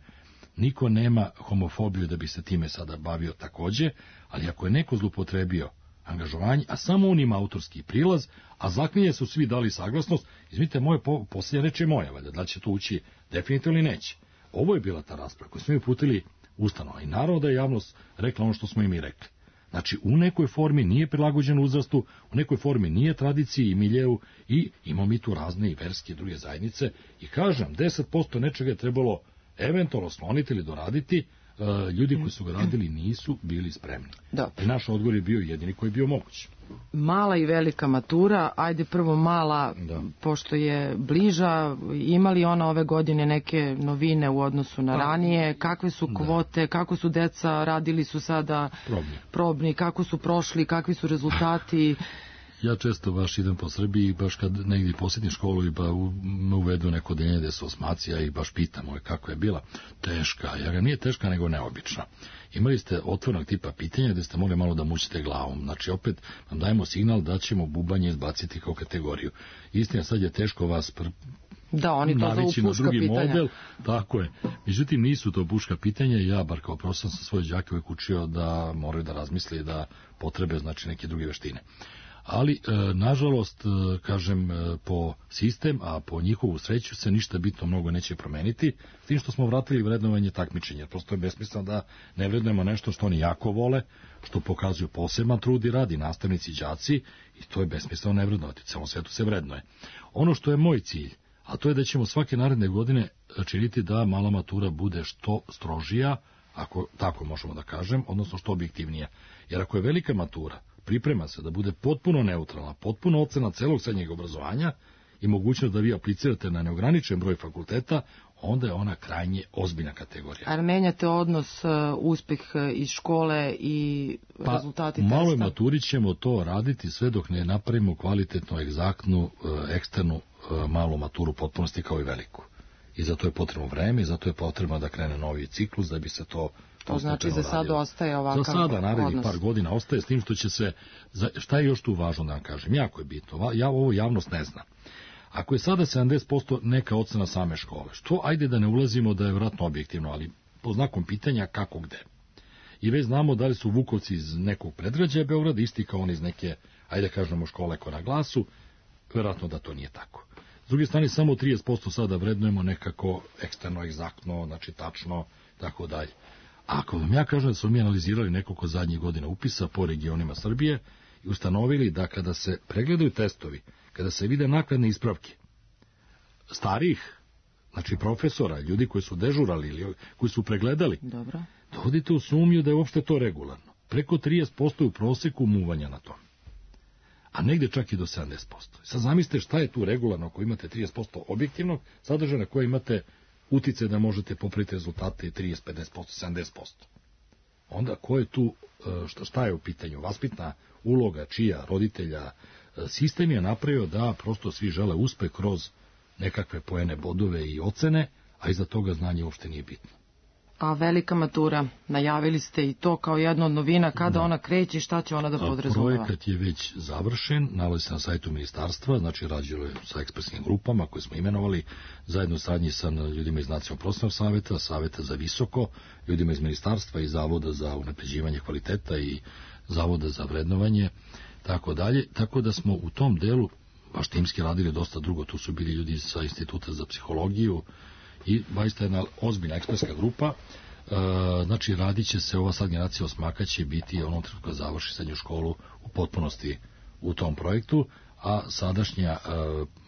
Niko nema homofobiju da bi se time sada bavio takođe, ali ako je neko zlupotrebio angažovanje, a samo on ima autorski prilaz, a zaklinje su svi dali saglasnost, izvinite, moje po, posljednja reč je moja, valjda, da li će to ući definitivno ili neće. Ovo je bila ta rasprava koju smo mi uputili ustanova i naravno da je javnost rekla ono što smo i mi rekli. Znači, u nekoj formi nije prilagođen uzrastu, u nekoj formi nije tradiciji i miljeu i imamo mi tu razne i verske i druge zajednice i kažem, deset posto nečega je trebalo eventualno skloniti ili doraditi, uh, ljudi koji su ga radili nisu bili spremni. Da. I naš odgovor je bio jedini koji je bio moguć. Mala i velika matura, ajde prvo mala, da. Pošto je bliža, imali ona ove godine neke novine u odnosu na ranije, kakve su kvote, da. Kako su deca, radili su sada probni. probni, kako su prošli, kakvi su rezultati? Ja često baš idem po Srbiji, baš kad negdje posjetim školu i ba u, me uvedu neko denje gde su osmacija i baš pitam ove kako je bila. Teška, ja ga nije teška nego neobična. Imali ste otvornog tipa pitanja gde ste mogli malo da mućite glavom. Znači opet vam dajemo signal da ćemo bubanje izbaciti kao kategoriju. Istina, sad je teško vas pr... da, oni to navići zovu na drugi pitanja. model. Tako je. Međutim, nisu to puška pitanja. Ja, bar kao profesor, sam svoje đake uvek učio da moraju da razmisli da potrebe znači neke druge veštine. Ali, e, nažalost, e, kažem, e, po sistem, a po njihovu sreću se ništa bitno mnogo neće promeniti, s tim što smo vratili vrednovanje takmičenja. Prosto je besmisleno da ne vrednujemo nešto što oni jako vole, što pokazuju poseban trud i radi nastavnici i đaci, i to je besmisleno ne vrednovati. U celom svetu se vrednuje. Ono što je moj cilj, a to je da ćemo svake naredne godine činiti da mala matura bude što strožija, ako tako možemo da kažem, odnosno što objektivnija. Jer ako je velika matura, priprema se da bude potpuno neutralna, potpuno ocena celog srednjeg obrazovanja i mogućnost da vi aplicirate na neograničen broj fakulteta, onda je ona krajnje ozbiljna kategorija. A menjate odnos, uh, uspeh iz škole i pa, rezultati testa? Pa u maloj maturi ćemo to raditi sve dok ne napravimo kvalitetno, egzaktnu, uh, eksternu uh, malu maturu potpunosti kao i veliku. I zato je potrebno vreme i zato je potrebno da krene novi ciklus da bi se to... To znači za sada ostaje ovakav odnos. Za sada, narednih odnos. par godina ostaje, s tim što će se... Šta je još tu važno da vam kažem? Jako je bitno. Ja, ovo javnost ne zna. Ako je sada sedamdeset posto neka ocena same škole, što ajde da ne ulazimo da je vjerojatno objektivno, ali po znakom pitanja kako gde. I već znamo da li su Vukovci iz nekog predgrađa Beograda isti kao oni iz neke, ajde kažemo, škole ko na glasu, vjerojatno da to nije tako. S druge strane, samo trideset posto sada vrednujemo nekako eksterno, egzaktno, znači tačno, tako dalje. Ako vam ja kažem da smo mi analizirali nekoliko zadnjih godina upisa po regionima Srbije i ustanovili da kada se pregledaju testovi, kada se vide naknadne ispravke starih, znači profesora, ljudi koji su dežurali ili koji su pregledali, dobro, dovodite u sumnju da je uopšte to regularno. Preko trideset posto je u proseku muvanja na tom, a negde čak i do sedamdeset posto. Sad zamislite šta je tu regularno ako imate trideset posto objektivnog sadržaja na koje imate utice da možete popraviti rezultate trideset, pedeset posto, sedamdeset posto. Onda ko je tu, šta, šta je u pitanju? Vaspitna uloga, čija, roditelja, sistem je napravio da prosto svi žele uspeh kroz nekakve poene, bodove i ocene, a iza toga znanje uopšte nije bitno. A velika matura, najavili ste i to kao jedna od novina, kada da. Ona kreće, šta će ona da podrazumeva? Projekat je već završen, nalazi se na sajtu ministarstva, znači rađeno je sa ekspresnim grupama koje smo imenovali, zajedno saradnji sa ljudima iz Nacionalnog prosvetnog saveta, Saveta za visoko, ljudima iz ministarstva i Zavoda za unapređivanje kvaliteta i Zavoda za vrednovanje, tako dalje, tako da smo u tom delu baš timski radili dosta drugo, tu su bili ljudi sa Instituta za psihologiju, i baista jedna ozbiljna ekspertska grupa, e, znači radit će se, ova sad generacija osmaka će biti onom trenutku kada završi srednju školu u potpunosti u tom projektu, a sadašnja e,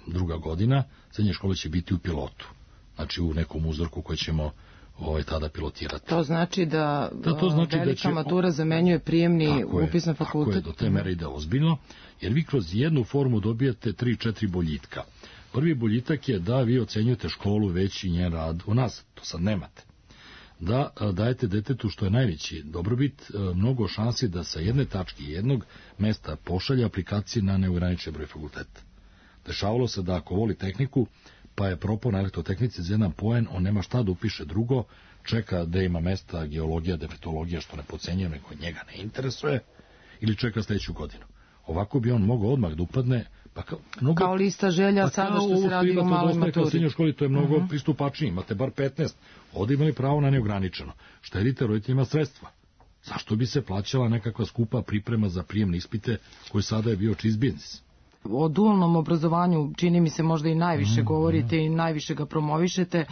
druga godina srednje škole će biti u pilotu, znači u nekom uzorku koji ćemo ovaj, tada pilotirati. To znači da, da to znači velika da će, matura zamenjuje prijemni upis na fakultet? Tako je, do te mere ide ozbiljno, jer vi kroz jednu formu dobijate tri četiri boljitka. Prvi boljitak je da vi ocenjujete školu već i njen rad u nas, to sad nemate. Da dajete detetu što je najveći dobrobit, mnogo šansi da sa jedne tačke jednog mesta pošalje aplikacije na neograničen broj fakulteta. Dešavalo se da ako voli tehniku, pa je propao na elektrotehnici za jedan poen, on nema šta da upiše drugo, čeka da ima mesta geologija, defektologija, što ne pocenjuje, nego njega ne interesuje, ili čeka sledeću godinu. Ovako bi on mogao odmah da upadne. Pa kao, mnogo, kao lista želja pa sada što se radi u maloj maturi. U školi to je mnogo uh -huh. pristupačnije, imate bar petnaest, ovdje imali pravo na neograničeno. Štedite roditeljima sredstva. Zašto bi se plaćala nekakva skupa priprema za prijemne ispite koji sada je bio čist biznis? O dualnom obrazovanju čini mi se možda i najviše mm, govorite mm. i najviše ga promovišete,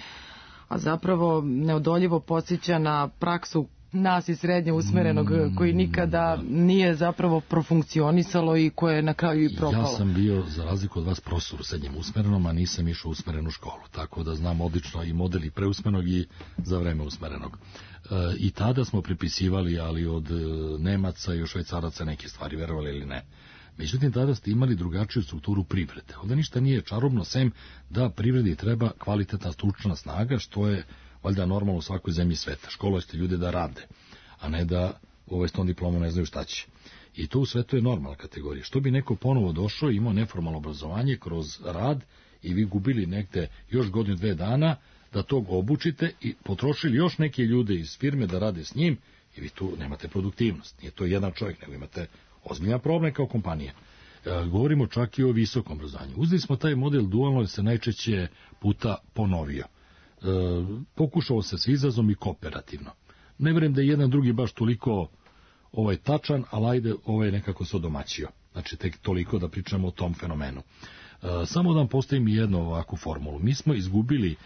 a zapravo neodoljivo podsjeća na praksu nas iz srednje usmerenog koji nikada nije zapravo profunkcionisalo i koje je na kraju i propalo. Ja sam bio, za razliku od vas, profesor u srednjem usmerenom, a nisam išao u usmerenu školu, tako da znam odlično i model i preusmerenog i za vreme usmerenog. E, I tada smo pripisivali, ali od Nemaca i od Švajcaraca neke stvari, verovali ili ne. Međutim, tada ste imali drugačiju strukturu privrede. Ovdje ništa nije čarobno, sem da privredi treba kvalitetna stručna snaga, što je valjda normalno u svakoj zemlji sveta. Školujete ljude da rade, a ne da ovaj s tom diplomom ne znaju šta će. I to u svetu je normalna kategorija. Što bi neko ponovo došao i imao neformalno obrazovanje kroz rad i vi gubili negde još godinu, dve dana da tog obučite i potrošili još neke ljude iz firme da rade s njim i vi tu nemate produktivnost. Nije to jedan čovjek, nego imate ozbiljan problem kao kompanija. E, govorimo čak i o visokom obrazovanju. Uzeli smo taj model dualno jer se najčešće puta ponovio. E, pokušao se s izazom i kooperativno. Ne vjerujem da je jedan drugi baš toliko ovaj tačan, ali ajde ovaj nekako se odomaćio. Znači tek toliko da pričamo o tom fenomenu. E, samo da vam postavim jednu ovakvu formulu. Mi smo izgubili e,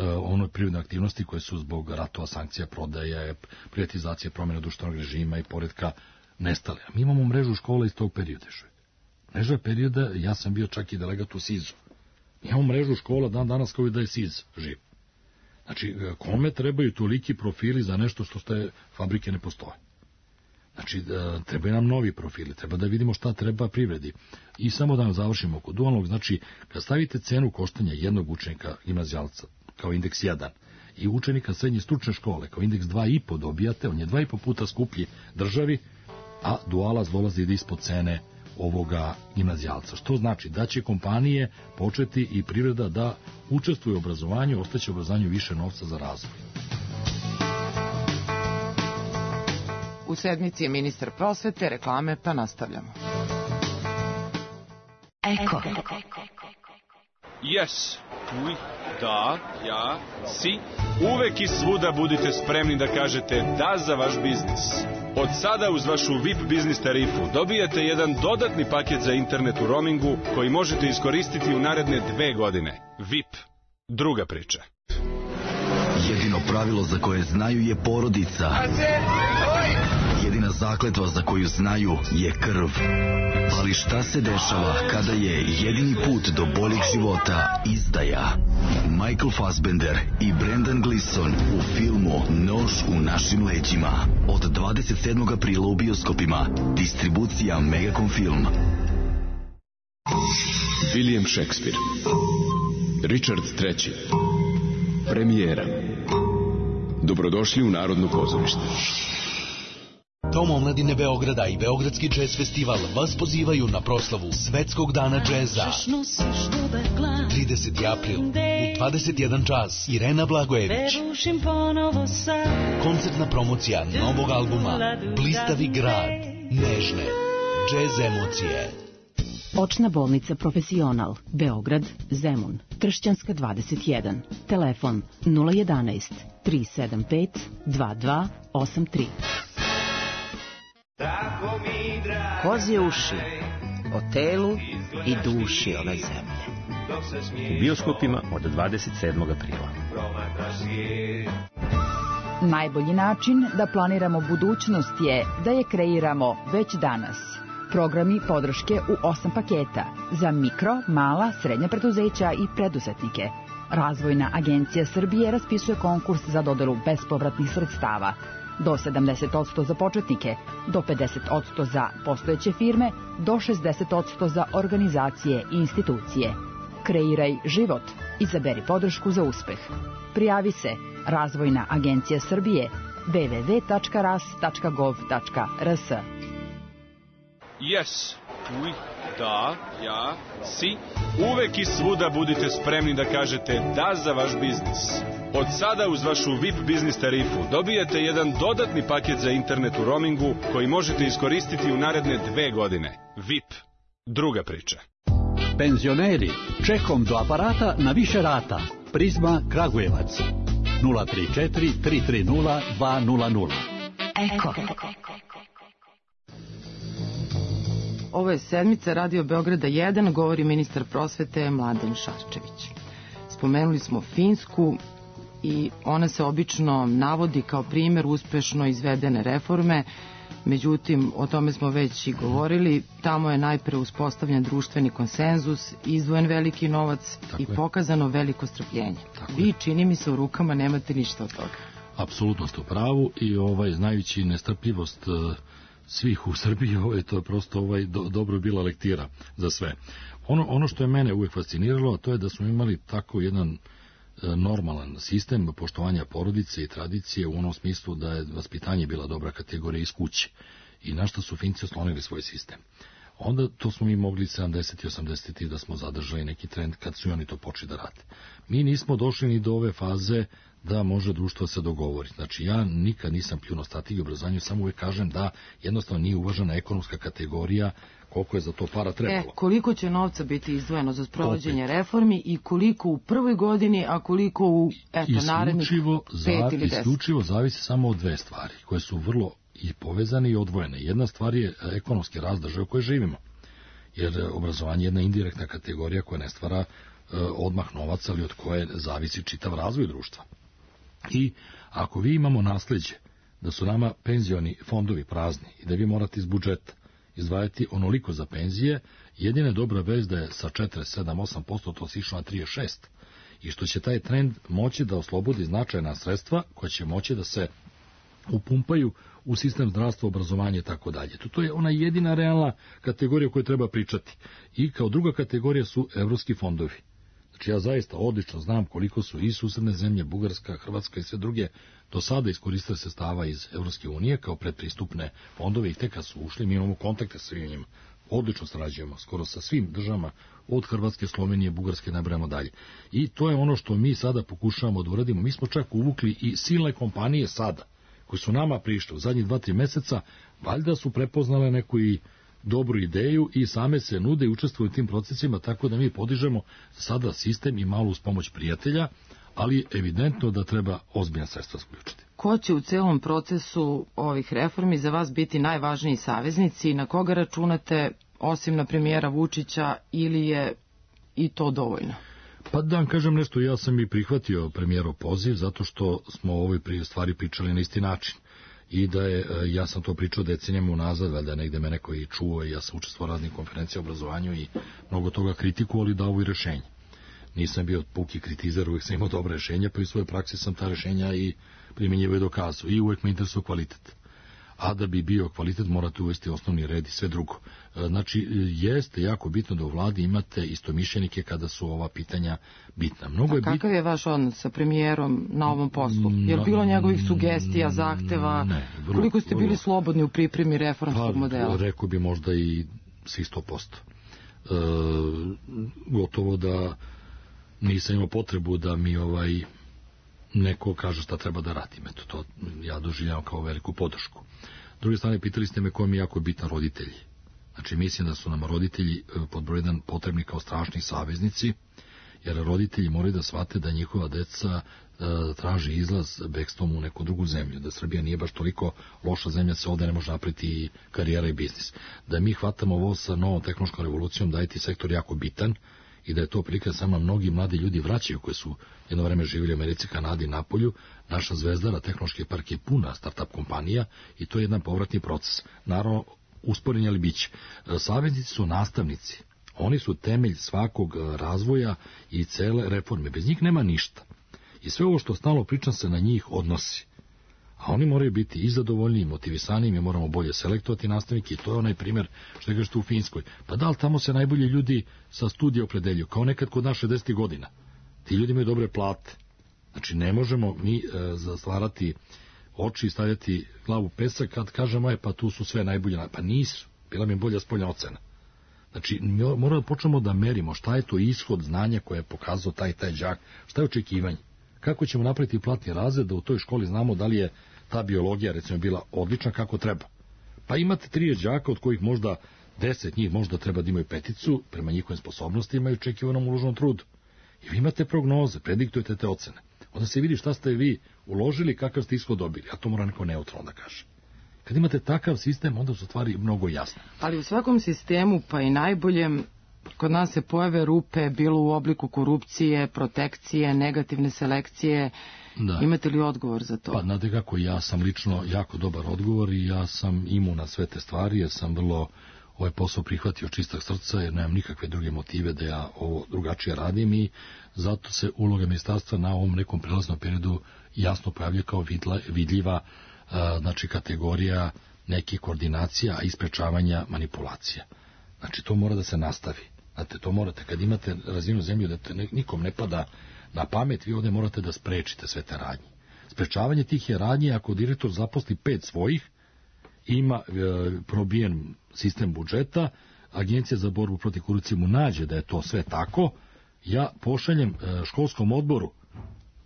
ono privredne aktivnosti koje su zbog ratova, sankcija, prodaje, privatizacije, promjene društvenog režima i poredka nestale. A mi imamo mrežu škola iz tog perioda. Mreža perioda, ja sam bio čak i delegat u S I Z-u. Mi imamo mrežu škola dan danas kao i da je S I Z živ. Znači, kome trebaju toliki profili za nešto što ste fabrike ne postoje? Znači, trebaju nam novi profili, treba da vidimo šta treba privredi. I samo da nam završimo oko dualnog, znači, kad stavite cenu koštanja jednog učenika gimnazijalca kao indeks jedan i učenika srednje stručne škole kao indeks dva i po dobijate, on je dva i po puta skuplji državi, a dualac dolazi da ispod cene ovoga gimnazijalca. Što znači da će kompanije početi i privreda da učestvuje u obrazovanju, ostaće u obrazovanju više novca za razvoj. U sedmici je ministar prosvete, reklame, pa nastavljamo. Eko. Yes. Oui. Da. Ja. Si. Uvek i svuda budite spremni da kažete da za vaš biznis. Od sada uz vašu V I P biznis tarifu dobijate jedan dodatni paket za internet u roamingu koji možete iskoristiti u naredne dve godine. V I P. Druga priča. Jedino pravilo za koje znaju je porodica. Jedina zakletva za koju znaju je krv. Ali šta se dešava kada je jedini put do boljeg života izdaja? Michael Fassbender i Brendan Gleeson u filmu Nož u našim leđima. Od dvadeset sedmog aprila u bioskopima. Distribucija Megacom Film. William Shakespeare. Richard treći. Premijera. Dobrodošli u Narodno pozorište. Dom omladine Beograda i Beogradski džez festival vas pozivaju na proslavu Svetskog dana džeza. trideseti april u dvadeset jedan čas. Irena Blagojević. Koncertna promocija novog albuma Blistavi grad. Nežne džez emocije. Očna bolnica Profesional, Beograd, Zemun, Tršćanska dvadeset jedan. Telefon nula jedanaest tri sedam pet dva dva osam tri. Kozje uši o telu i duši ove zemlje. U bioskopima od dvadeset sedmog aprila. Najbolji način da planiramo budućnost je da je kreiramo već danas. Programi podrške u osam paketa za mikro, mala, srednja preduzeća i preduzetnike. Razvojna agencija Srbije raspisuje konkurs za dodelu bespovratnih sredstava. Do sedamdeset posto za početnike, do pedeset posto za postojeće firme, do šezdeset posto za organizacije i institucije. Kreiraj život. Izaberi podršku za uspeh. Prijavi se Razvojna agencija Srbije w w w tačka ras tačka gov tačka r s. Yes, oui, da, ja, si. Uvek i svuda budite spremni da kažete da za vaš biznis. Od sada uz vašu V I P biznis tarifu dobijate jedan dodatni paket za internet u roamingu koji možete iskoristiti u naredne dve godine. V I P. Druga priča. Penzioneri, čekom do aparata na više rata. Prizma Kragujevac. nula tri četiri tri tri nula dva nula nula. Eko. Ovo je sedmica Radio Beograda jedan, govori ministar prosvete Mladen Šarčević. Spomenuli smo Finsku i ona se obično navodi kao primjer uspešno izvedene reforme, međutim, o tome smo već i govorili, tamo je najpre uspostavljen društveni konsenzus, izdvojen veliki novac Tako i je. pokazano veliko strpljenje. Tako Vi, je. čini mi se, u rukama nemate ništa od toga. Apsolutno ste u pravu i ovaj, znajući nestrpljivost uh, svih u Srbiji, ovaj, to je prosto ovaj, do, dobro bila lektira za sve. Ono, ono što je mene uvijek fasciniralo, to je da smo imali tako jedan e, normalan sistem poštovanja porodice i tradicije u onom smislu da je vaspitanje bila dobra kategorija iz kuće i na što su Finci oslonili svoj sistem. Onda to smo mi mogli sedamdeset i osamdeset da smo zadržali neki trend kad su oni to počeli da rade. Mi nismo došli ni do ove faze da može društvo se dogovori. Znači, ja nikad nisam pljuno strategiju obrazovanja, samo uvijek kažem da jednostavno nije uvažena ekonomska kategorija koliko je za to para trebalo. E, koliko će novca biti izdvojeno za sprovođenje reformi i koliko u prvoj godini, a koliko u eto, narednih pet ili deset? Isključivo zavisi samo od dve stvari, koje su vrlo i povezane i odvojene. Jedna stvar je ekonomski rast države u kojoj živimo, jer obrazovanje je jedna indirektna kategorija koja ne stvara e, odmah novac, ali od koje zavisi čitav razvoj društva. I ako vi imamo nasleđe da su nama penzioni fondovi prazni i da vi morate iz budžeta izdvajati onoliko za penzije, jedina je dobra vez da je sa četrdeset sedam do osam posto to sišlo na trideset šest i što će taj trend moći da oslobodi značajna sredstva koja će moći da se upumpaju u sistem zdravstva, obrazovanja i tako dalje. To je ona jedina realna kategorija o kojoj treba pričati. I kao druga kategorija su evropski fondovi. Znači ja zaista odlično znam koliko su i susedne zemlje, Bugarska, Hrvatska i sve druge do sada iskoristile sredstava iz Evropske unije kao predpristupne fondove i tek kad su ušli mi imamo kontakte sa svim njima. Odlično sarađujemo skoro sa svim državama od Hrvatske, Slovenije, Bugarske, ne brojimo dalje. I to je ono što mi sada pokušavamo da uradimo. Mi smo čak uvukli i silne kompanije sada koji su nama prišli u zadnjih dva, tri meseca, valjda su prepoznale neku i dobru ideju i same se nude i učestvuju u tim procesima, tako da mi podižemo sada sistem i malo uz pomoć prijatelja, ali evidentno da treba ozbiljna sredstva sključiti. Ko će u celom procesu ovih reformi za vas biti najvažniji saveznici i na koga računate, osim na premijera Vučića, ili je i to dovoljno? Pa da vam kažem nešto, ja sam i prihvatio premijerov poziv zato što smo o ovoj stvari pričali na isti način. I da je, ja sam to pričao decenijama unazad, valjda negde me neko i čuo i ja sam učestvovao u raznih konferencija o obrazovanju i mnogo toga kritikovao, ali dao i rešenje. Nisam bio puki kritizer, uvijek sam imao dobra rešenja, pa i u svojoj praksi sam ta rešenja i primjenjivao i dokazao. I uvijek me interesuje kvalitet. A da bi bio kvalitet, morate uvesti osnovni red i sve drugo. Znači, jeste jako bitno da u vladi imate istomišljenike kada su ova pitanja bitna. Mnogo A je kakav bit... je vaš odnos sa premijerom na ovom poslu? Je li bilo njegovih sugestija, zahteva? Ne. Vrlo, Koliko ste bili vrlo... slobodni u pripremi reformskog pa, modela? Rekao bi možda i svih sto posto. E, gotovo da nisam imao potrebu da mi ovaj neko kaže šta treba da radim. Eto, to ja doživljavam kao veliku podršku. S druge strane, pitali ste me ko mi je jako bitan roditelji. Znači, mislim da su nam roditelji pod broj jedan potrebni kao strašni saveznici, jer roditelji moraju da shvate da njihova deca e, traži izlaz bekstvom u neku drugu zemlju, da Srbija nije baš toliko loša zemlja, se ovde ne može napriti karijera i biznis. Da mi hvatamo ovo sa novom tehnološkom revolucijom, da je ti sektor jako bitan, i da je to prilika samo mnogi mladi ljudi vraćaju koji su jedno vreme živjeli u Americi, Kanadi, Napolju. Naša Zvezdara, tehnološki park je puna startup kompanija i to je jedan povratni proces. Naravno, usporen je li biće. Saveznici su nastavnici. Oni su temelj svakog razvoja i cele reforme. Bez njih nema ništa. I sve ovo što stalno pričam se na njih odnosi. A oni moraju biti i zadovoljni i motivisani, mi moramo bolje selektovati nastavnike i to je onaj primjer što je kažete u Finskoj. Pa da li tamo se najbolji ljudi sa studija opredeljuju, kao nekad kod nas šezdesetih godina. Ti ljudi imaju dobre plate. Znači ne možemo mi e, zatvarati oči i stavljati glavu u pesak kad kažemo je pa tu su sve najbolje. Pa nisu, bila mi je bolja spoljna ocena. Znači moramo da počnemo da merimo šta je to ishod znanja koje je pokazao taj taj đak, šta je očekivanje. Kako ćemo napraviti platni razred da u toj školi znamo da li je ta biologija recimo bila odlična kako treba. Pa imate trideset đaka od kojih možda deset njih možda treba da imaju peticu prema njihovim sposobnostima i očekivanom uloženom trudu. I vi imate prognoze, prediktujete te ocene. Onda se vidi šta ste vi uložili, kakav ste ishod dobili, a to mora neko neutralno da kaže. Kad imate takav sistem, onda su stvari mnogo jasne. Ali u svakom sistemu, pa i najboljem, kod nas se pojave rupe, bilo u obliku korupcije, protekcije, negativne selekcije. Da. Imate li odgovor za to? Pa, znate kako, ja sam lično jako dobar odgovor i ja sam imun na sve te stvari, jer sam vrlo ovaj posao prihvatio čistog srca, jer nemam nikakve druge motive da ja ovo drugačije radim i zato se uloga ministarstva na ovom nekom prelaznom periodu jasno pojavlja kao vidla, vidljiva a, znači kategorija nekih koordinacija i sprečavanja manipulacija. Znači to mora da se nastavi. Znate, to morate, kad imate razvijenu zemlju da te nikom ne pada na pamet, vi ovde morate da sprečite sve te radnje. Sprečavanje tih je radnje, ako direktor zaposli pet svojih, ima e, probijen sistem budžeta, Agencija za borbu protiv korupcije mu nađe da je to sve tako, ja pošaljem e, školskom odboru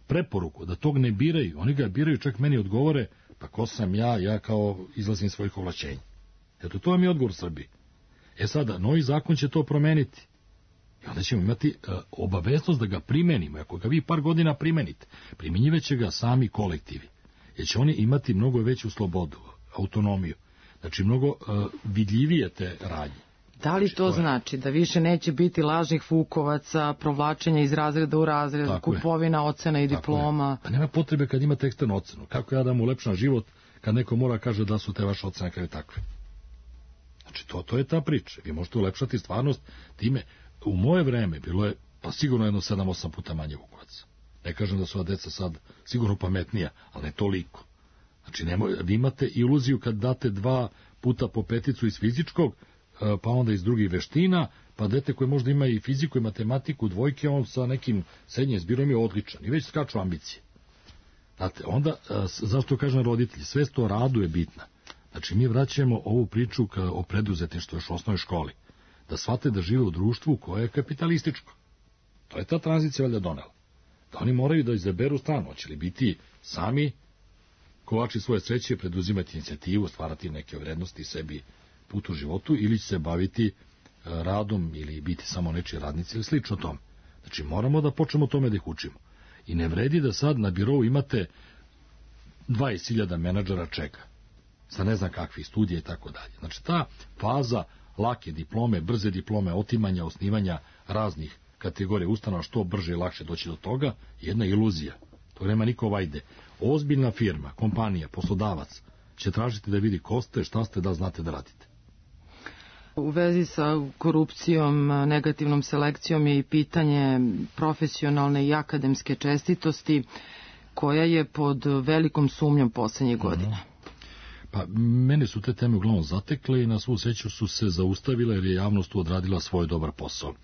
preporuku da tog ne biraju, oni ga biraju, čak meni odgovore, pa ko sam ja, ja kao izlazim svojih ovlašćenja. Eto, to vam je odgovor Srbiji. E sada, novi zakon će to promeniti. I onda ćemo imati e, obaveznost da ga primenimo. Ako ga vi par godina primenite, primjenjivaće ga sami kolektivi. Jer će oni imati mnogo veću slobodu, autonomiju. Znači, mnogo e, vidljivije te radnje. Da li to znači da više neće biti lažnih fukovaca, provlačenja iz razreda u razred, tako kupovina je. Ocena i diploma? Pa nema potrebe kad imate eksternu ocenu. Kako ja da mu ulepšam život kad neko mora kaže da su te vaše ocene kraju takve? Znači, to, to je ta priča. Vi možete ulepšati stvarnost time. U moje vreme bilo je pa sigurno jedno sedam osam puta manje vukovaca. Ne kažem da su ova deca sad sigurno pametnija, ali ne toliko. Znači, nemoj, vi imate iluziju kad date dva puta po peticu iz fizičkog, pa onda iz drugih veština, pa dete koje možda ima i fiziku i matematiku, dvojke, on sa nekim srednjim zbirom je odličan i već skaču ambicije. Znate, onda, zašto kažem roditelji, svest o radu je bitna. Znači, mi vraćamo ovu priču ka, o preduzetništvu još u osnovnoj školi. Da shvate da žive u društvu koje je kapitalističko. To je ta tranzicija valjda donela. Da oni moraju da izaberu stranu. Hoće li biti sami kovači svoje sreće, preduzimati inicijativu, stvarati neke vrednosti sebi put u životu, ili će se baviti radom ili biti samo nečiji radnici ili slično tome. Znači, moramo da počnemo tome da ih učimo. I ne vredi da sad na birovu imate dvadeset hiljada menadžera čeka, sa ne znam kakvih studija i tako dalje. Znači ta faza lake diplome, brze diplome, otimanja, osnivanja raznih kategorija ustanova, što brže i lakše doći do toga, jedna iluzija. To nema niko vajde. Ozbiljna firma, kompanija, poslodavac će tražiti da vidi ko ste, šta ste, da znate da radite. U vezi sa korupcijom, negativnom selekcijom je i pitanje profesionalne i akademske čestitosti koja je pod velikom sumnjom poslednjih godina. Pa, mene su te teme uglavnom zatekle i na svu sreću su se zaustavile jer je javnost tu odradila svoj dobar posao.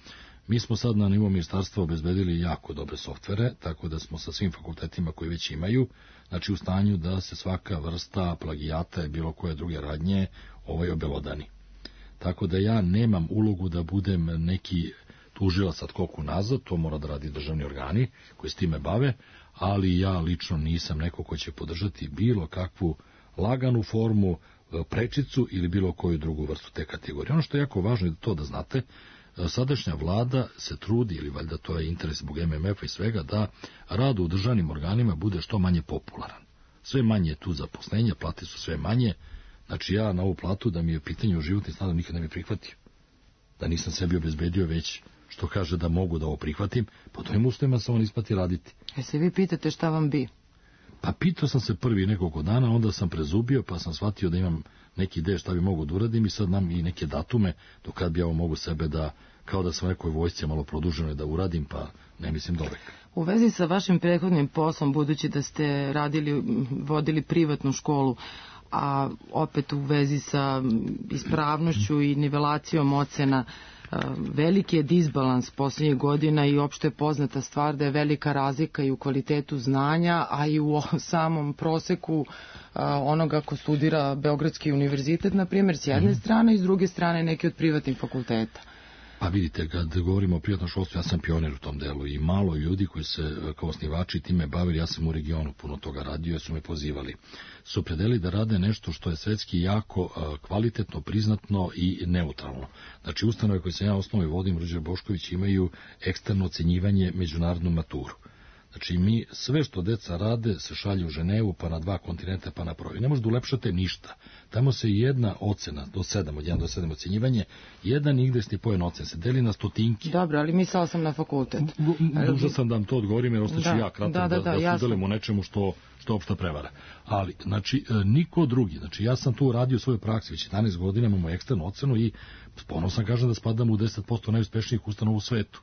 Mi smo sad na nivou ministarstva obezbedili jako dobre softvere, tako da smo sa svim fakultetima koji već imaju, znači u stanju da se svaka vrsta plagijata i bilo koje druge radnje ovaj obelodani. Tako da ja nemam ulogu da budem neki tužilac ad hoc unazad, to mora da radi državni organi koji s time bave, ali ja lično nisam neko ko će podržati bilo kakvu laganu formu, prečicu ili bilo koju drugu vrstu te kategorije. Ono što je jako važno je to da znate, sadašnja vlada se trudi, ili valjda to je interes zbog M M F-a i svega, da rad u državnim organima bude što manje popularan. Sve manje je tu zaposlenja, plate su sve manje, znači ja na ovu platu da mi je pitanje o životnim standardom nikad ne mi prihvatio. Da nisam sebi obezbedio već što kaže da mogu da ovo prihvatim, po tojim uslovima sam on isplati raditi. E se vi pitate šta vam bi? Pa pitao sam se prvi nekoliko dana, onda sam prezubio, pa sam shvatio da imam neki ideje šta bi mogu da uradim i sad nam i neke datume do kad bi ja ovo mogu sebe da, kao da sam nekoj vojsci malo produženo da uradim, pa ne mislim do veka. U vezi sa vašim prethodnim poslom, budući da ste radili, vodili privatnu školu, a opet u vezi sa ispravnošću i nivelacijom ocena, veliki je disbalans posljednjih godina i opšte je poznata stvar da je velika razlika i u kvalitetu znanja, a i u samom proseku onoga ko studira Beogradski univerzitet, na primjer, s jedne strane i s druge strane neki od privatnih fakulteta. Pa vidite, kad govorimo o privatnom školstvu, ja sam pionir u tom delu i malo ljudi koji se kao osnivači time bavili, ja sam u regionu puno toga radio, su me pozivali, su predeli da rade nešto što je svetski jako kvalitetno, priznatno i neutralno. Znači, ustanove koje sam ja osnovno i vodim, Ruđer Bošković, imaju eksterno ocenjivanje međunarodnu maturu. Znači, mi sve što deca rade se šalje u Ženevu, pa na dva kontinenta, pa na provi. Ne možete ulepšati ništa. Tamo se jedna ocena, do sedam, od jedan do sedam ocenjivanje, jedan igdesni poen ocen se deli na stotinki. Dobro, ali mislila sam na fakultet. Duža sam da vam to odgovorim, jer ostaću ja kratak da, da, da, da, da sudelim u nečemu što, što opšta prevara. Ali, znači, niko drugi, znači, ja sam tu radio u svojoj praksi, već jedanaest godina imamo eksternu ocenu i ponosan kažem da spadam u deset posto najuspešnijih ustanova u svetu.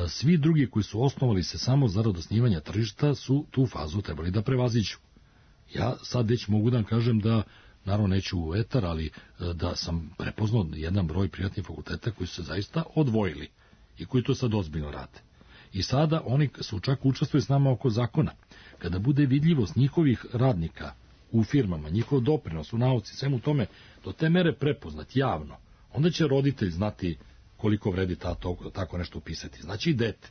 Svi drugi koji su osnovali se samo zarad osnivanja tržišta su tu fazu trebali da prevaziđu. Ja sad već mogu da vam kažem da, naravno neću u etar, ali da sam prepoznao jedan broj privatnih fakulteta koji su se zaista odvojili i koji to sad ozbiljno rade. I sada oni su čak učestvuju s nama oko zakona. Kada bude vidljivost njihovih radnika u firmama, njihov doprinos u nauci, svemu tome, do te mere prepoznat javno, onda će roditelj znati koliko vredi ta, to, tako nešto upisati. Znači i dete.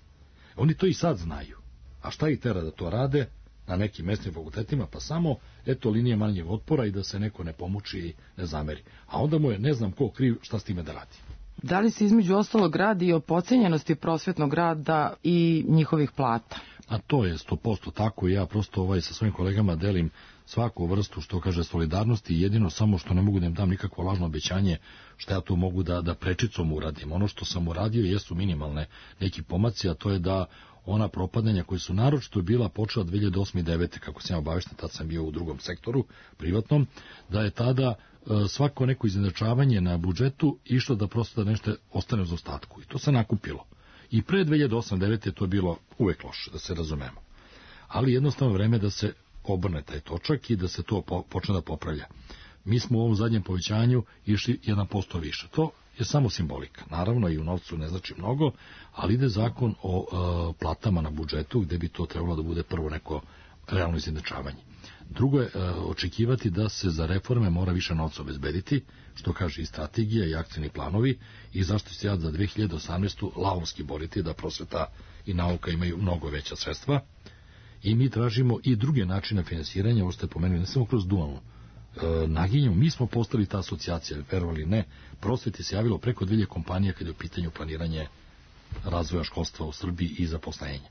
Oni to i sad znaju. A šta ih tera da to rade na nekim mestnim fakultetima? Pa samo, eto, linije manjeg otpora i da se neko ne pomuči i ne zameri. A onda mu je, ne znam ko kriv, šta s time da radi. Da li se između ostalog radi i o pocenjenosti prosvetnog rada i njihovih plata? A to je sto posto tako i ja prosto ovaj sa svojim kolegama delim svaku vrstu, što kaže, solidarnosti, jedino samo što ne mogu da im dam nikakvo lažno obećanje što ja to mogu da, da prečicom uradim. Ono što sam uradio jesu minimalne neki pomaci, a to je da ona propadanja koji su naročito bila počela dve hiljade osme i dve hiljade devete. kako sam ja obavešten, tad sam bio u drugom sektoru, privatnom, da je tada e, svako neko izjednačavanje na budžetu išlo da prosto da nešto ostane uz ostatku. I to se nakupilo. I pre dve hiljade osme i dve hiljade devete. je to bilo uvek loše, da se razumemo. Ali jednostavno vreme da se obrne taj točak i da se to po, počne da popravlja. Mi smo u ovom zadnjem povećanju išli jedan posto više. To je samo simbolika. Naravno i u novcu ne znači mnogo, ali ide zakon o e, platama na budžetu gde bi to trebalo da bude prvo neko realno izjednačavanje. Drugo je e, očekivati da se za reforme mora više novca obezbediti, što kaže i strategija i akcijni planovi, i zašto se ja za dve hiljade osamnaestu. lavovski boriti da prosveta i nauka imaju mnogo veća sredstva. I mi tražimo i druge načine finansiranja, ovo ste pomenuli, ne samo kroz dualno e, naginju. Mi smo postali ta asocijacija, verovali ne, prosveti se javilo preko dve hiljade kompanija kada je u pitanju planiranje razvoja školstva u Srbiji i zaposlenja.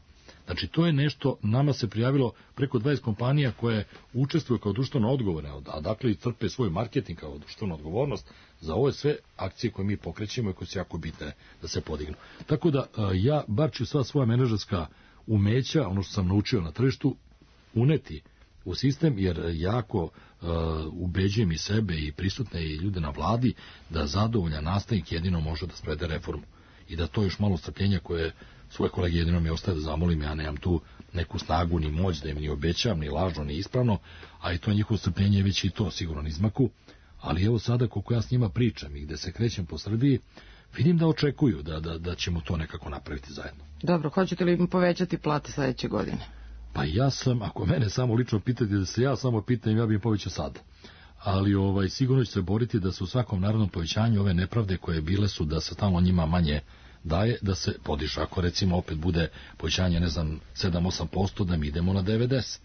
Znači, to je nešto, nama se prijavilo preko dvadeset kompanija koje učestvuju kao društveno odgovorne, a dakle i crpe svoj marketing kao društvenu odgovornost za ove sve akcije koje mi pokrećemo i koje su jako bitne da se podignu. Tako da ja, bar ću sva svoja menadžerska umeća, ono što sam naučio na tržištu, uneti u sistem, jer jako uh, ubeđujem i sebe i prisutne i ljude na vladi da zadovoljan nastavnik jedino može da sprovede reformu. I da to još malo strpljenja koje svoje kolege jedino mi ostaje da zamolim, ja nemam tu neku snagu ni moć da im ni obećam, ni lažno, ni ispravno, a i to njihovo strpljenje je već i to sigurno izmaku. Ali evo sada koliko ja s njima pričam i gde se krećem po Srbiji, vidim da očekuju da, da, da ćemo to nekako napraviti zajedno. Dobro, hoćete li im povećati plate sledeće godine? Pa ja sam, ako mene samo lično pitati da se ja samo pitam, ja bih im povećao sad. Ali ovaj, sigurno će se boriti da se u svakom narodnom povećanju ove nepravde koje bile su da se tamo njima manje daje, da se podiže. Ako recimo opet bude povećanje, ne znam, sedam do osam posto, da mi idemo na devedeset.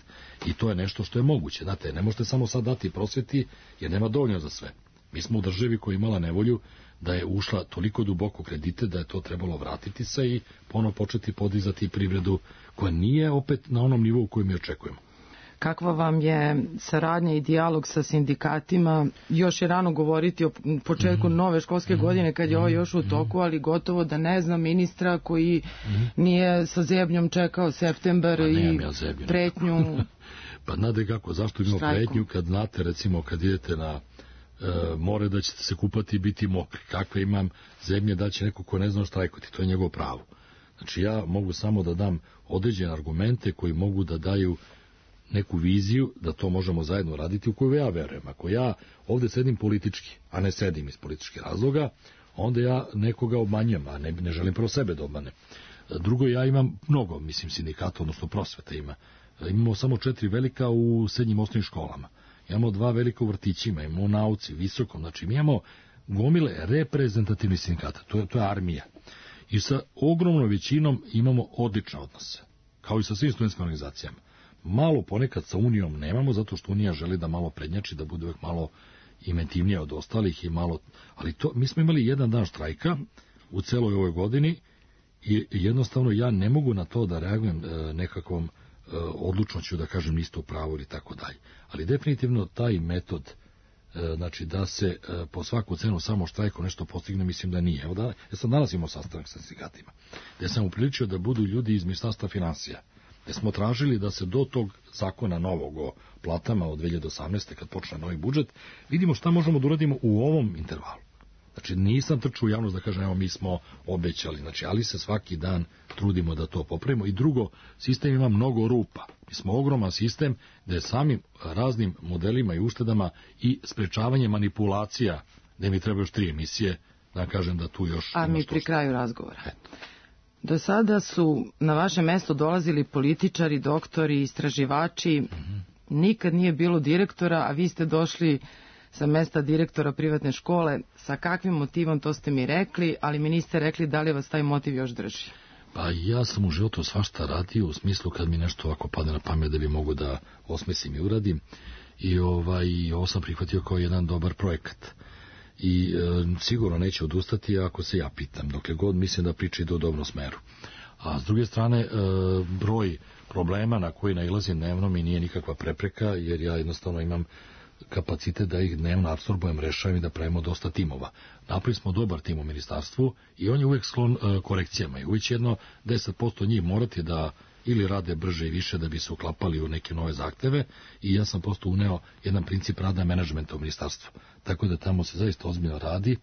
I to je nešto što je moguće. Znate, ne možete samo sad dati prosveti, jer nema dovoljno za sve. Mi smo u državi koja je imala nevolju da je ušla toliko duboko kredite da je to trebalo vratiti se i ponovo početi podizati privredu koja nije opet na onom nivou koju mi očekujemo. Kakva vam je saradnja i dijalog sa sindikatima? Još je rano govoriti o početku mm-hmm. nove školske mm-hmm. godine kad je ovo još u toku, ali gotovo da ne znam ministra koji mm-hmm. nije sa zebnjom čekao septembar pa, i ja pretnju. Pa znate kako, zašto imamo pretnju kad znate recimo kad idete na e, more da ćete se kupati i biti mokri. Kakve imam zemlje da će neko ko ne zna štrajkoti, to je njegovo pravo. Znači ja mogu samo da dam određene argumente koji mogu da daju neku viziju da to možemo zajedno raditi u koju ja verujem. Ako ja ovde sedim politički, a ne sedim iz političkih razloga, onda ja nekoga obmanjam, a ne, ne želim prvo sebe da obmanem. Drugo, ja imam mnogo, mislim, sindikata, odnosno prosveta ima. Imamo samo četiri velika u srednjim osnovnim školama. Imamo dva velika u vrtićima, imamo u nauci, visokom. Znači, mi imamo gomile reprezentativnih sindikata. To je, to je armija. I sa ogromnom većinom imamo odlične odnose. Kao i sa svim studentskim organizacijama. Malo ponekad sa Unijom nemamo, zato što Unija želi da malo prednjači, da bude uvek malo inventivnija od ostalih i malo... Ali to, mi smo imali jedan dan štrajka u celoj ovoj godini i jednostavno ja ne mogu na to da reagujem e, nekakvom e, odlučnoću, da kažem isto pravo ili tako dalje. Ali definitivno taj metod, e, znači da se e, po svaku cenu samo štrajko nešto postigne, mislim da nije. Evo da, ja sam danas imao sastanak sa sindikatima, gde sam upriličio da budu ljudi iz Ministarstva finansija, gde smo tražili da se do tog zakona novog o platama od dve hiljade osamnaeste. kad počne novi budžet, vidimo šta možemo da uradimo u ovom intervalu. Znači nisam trčao u javnost da kažem evo mi smo obećali, znači, ali se svaki dan trudimo da to popravimo. I drugo, sistem ima mnogo rupa. Mi smo ogroman sistem gde je samim raznim modelima i uštedama i sprečavanje manipulacija, gde mi treba još tri emisije, da kažem da tu još... A mi pri kraju razgovora. Eto. Do sada su na vaše mesto dolazili političari, doktori, istraživači. Mm-hmm. Nikad nije bilo direktora, a vi ste došli sa mesta direktora privatne škole. Sa kakvim motivom, to ste mi rekli, ali mi niste rekli da li vas taj motiv još drži. Pa ja sam u životu svašta radio u smislu kad mi nešto ovako padne na pamet da bi mogu da osmislim i uradim. I ovaj, ovo sam prihvatio kao jedan dobar projekat. I e, sigurno neće odustati ako se ja pitam, dokle god mislim da priča ide u dobrom smeru. A s druge strane, e, broj problema na koji nailazim dnevno mi nije nikakva prepreka, jer ja jednostavno imam kapacitet da ih dnevno apsorbujem, rešavam i da pravimo dosta timova. Napravili smo dobar tim u ministarstvu i on je uvek sklon e, korekcijama i uvek će jedno deset posto njih morati da ili rade brže i više da bi se uklapali u neke nove zahteve i ja sam prosto uneo jedan princip rada menadžmenta u ministarstvu. Tako da tamo se zaista ozbiljno radi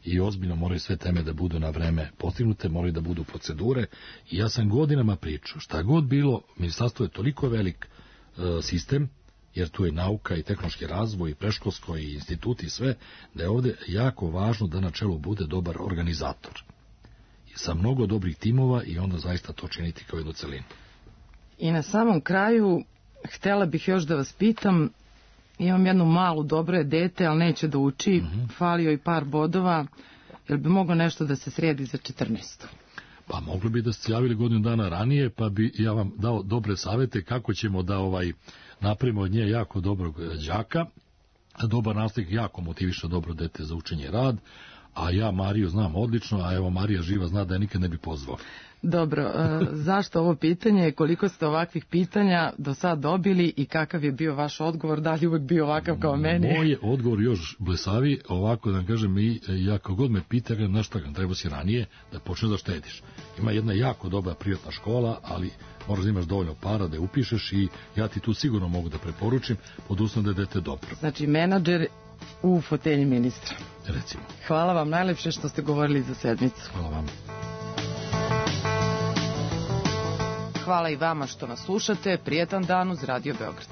i ozbiljno moraju sve teme da budu na vreme postignute, moraju da budu procedure i ja sam godinama pričao, šta god bilo, ministarstvo je toliko velik e, sistem, jer tu je nauka i tehnološki razvoj i preškolsko i instituti i sve, da je ovde jako važno da na čelu bude dobar organizator. I sa mnogo dobrih timova i onda zaista to činiti kao jednu celinu. I na samom kraju, htela bih još da vas pitam, imam jednu malu, dobro je dete, ali neće da uči, mm-hmm. falio i par bodova, jel bi moglo nešto da se sredi za četrnaestu? Pa mogli bi da ste javili godinu dana ranije, pa bi ja vam dao dobre savete kako ćemo da ovaj napravimo od nje jako dobrog đaka, dobar nastavnik jako motiviše dobro dete za učenje i rad, a ja Mariju znam odlično, a evo Marija živa zna da je nikad ne bi pozvao. Dobro, e, zašto ovo pitanje, koliko ste ovakvih pitanja do sad dobili i kakav je bio vaš odgovor, da li uvek bio ovakav kao meni? Moj je odgovor još blesavi, ovako da vam kažem, i ja kao god me pita, na šta ga treba si ranije da počneš da štediš. Ima jedna jako dobra privatna škola, ali moraš da imaš dovoljno para da je upišeš i ja ti tu sigurno mogu da preporučim, pod uslovom da je dete dobro. Znači, menadžer u fotelji ministra. Recimo. Hvala vam najlepše što ste govorili za sedmicu. Hvala vam. Hvala i vama što nas slušate. Prijetan dan uz Radio Beograd.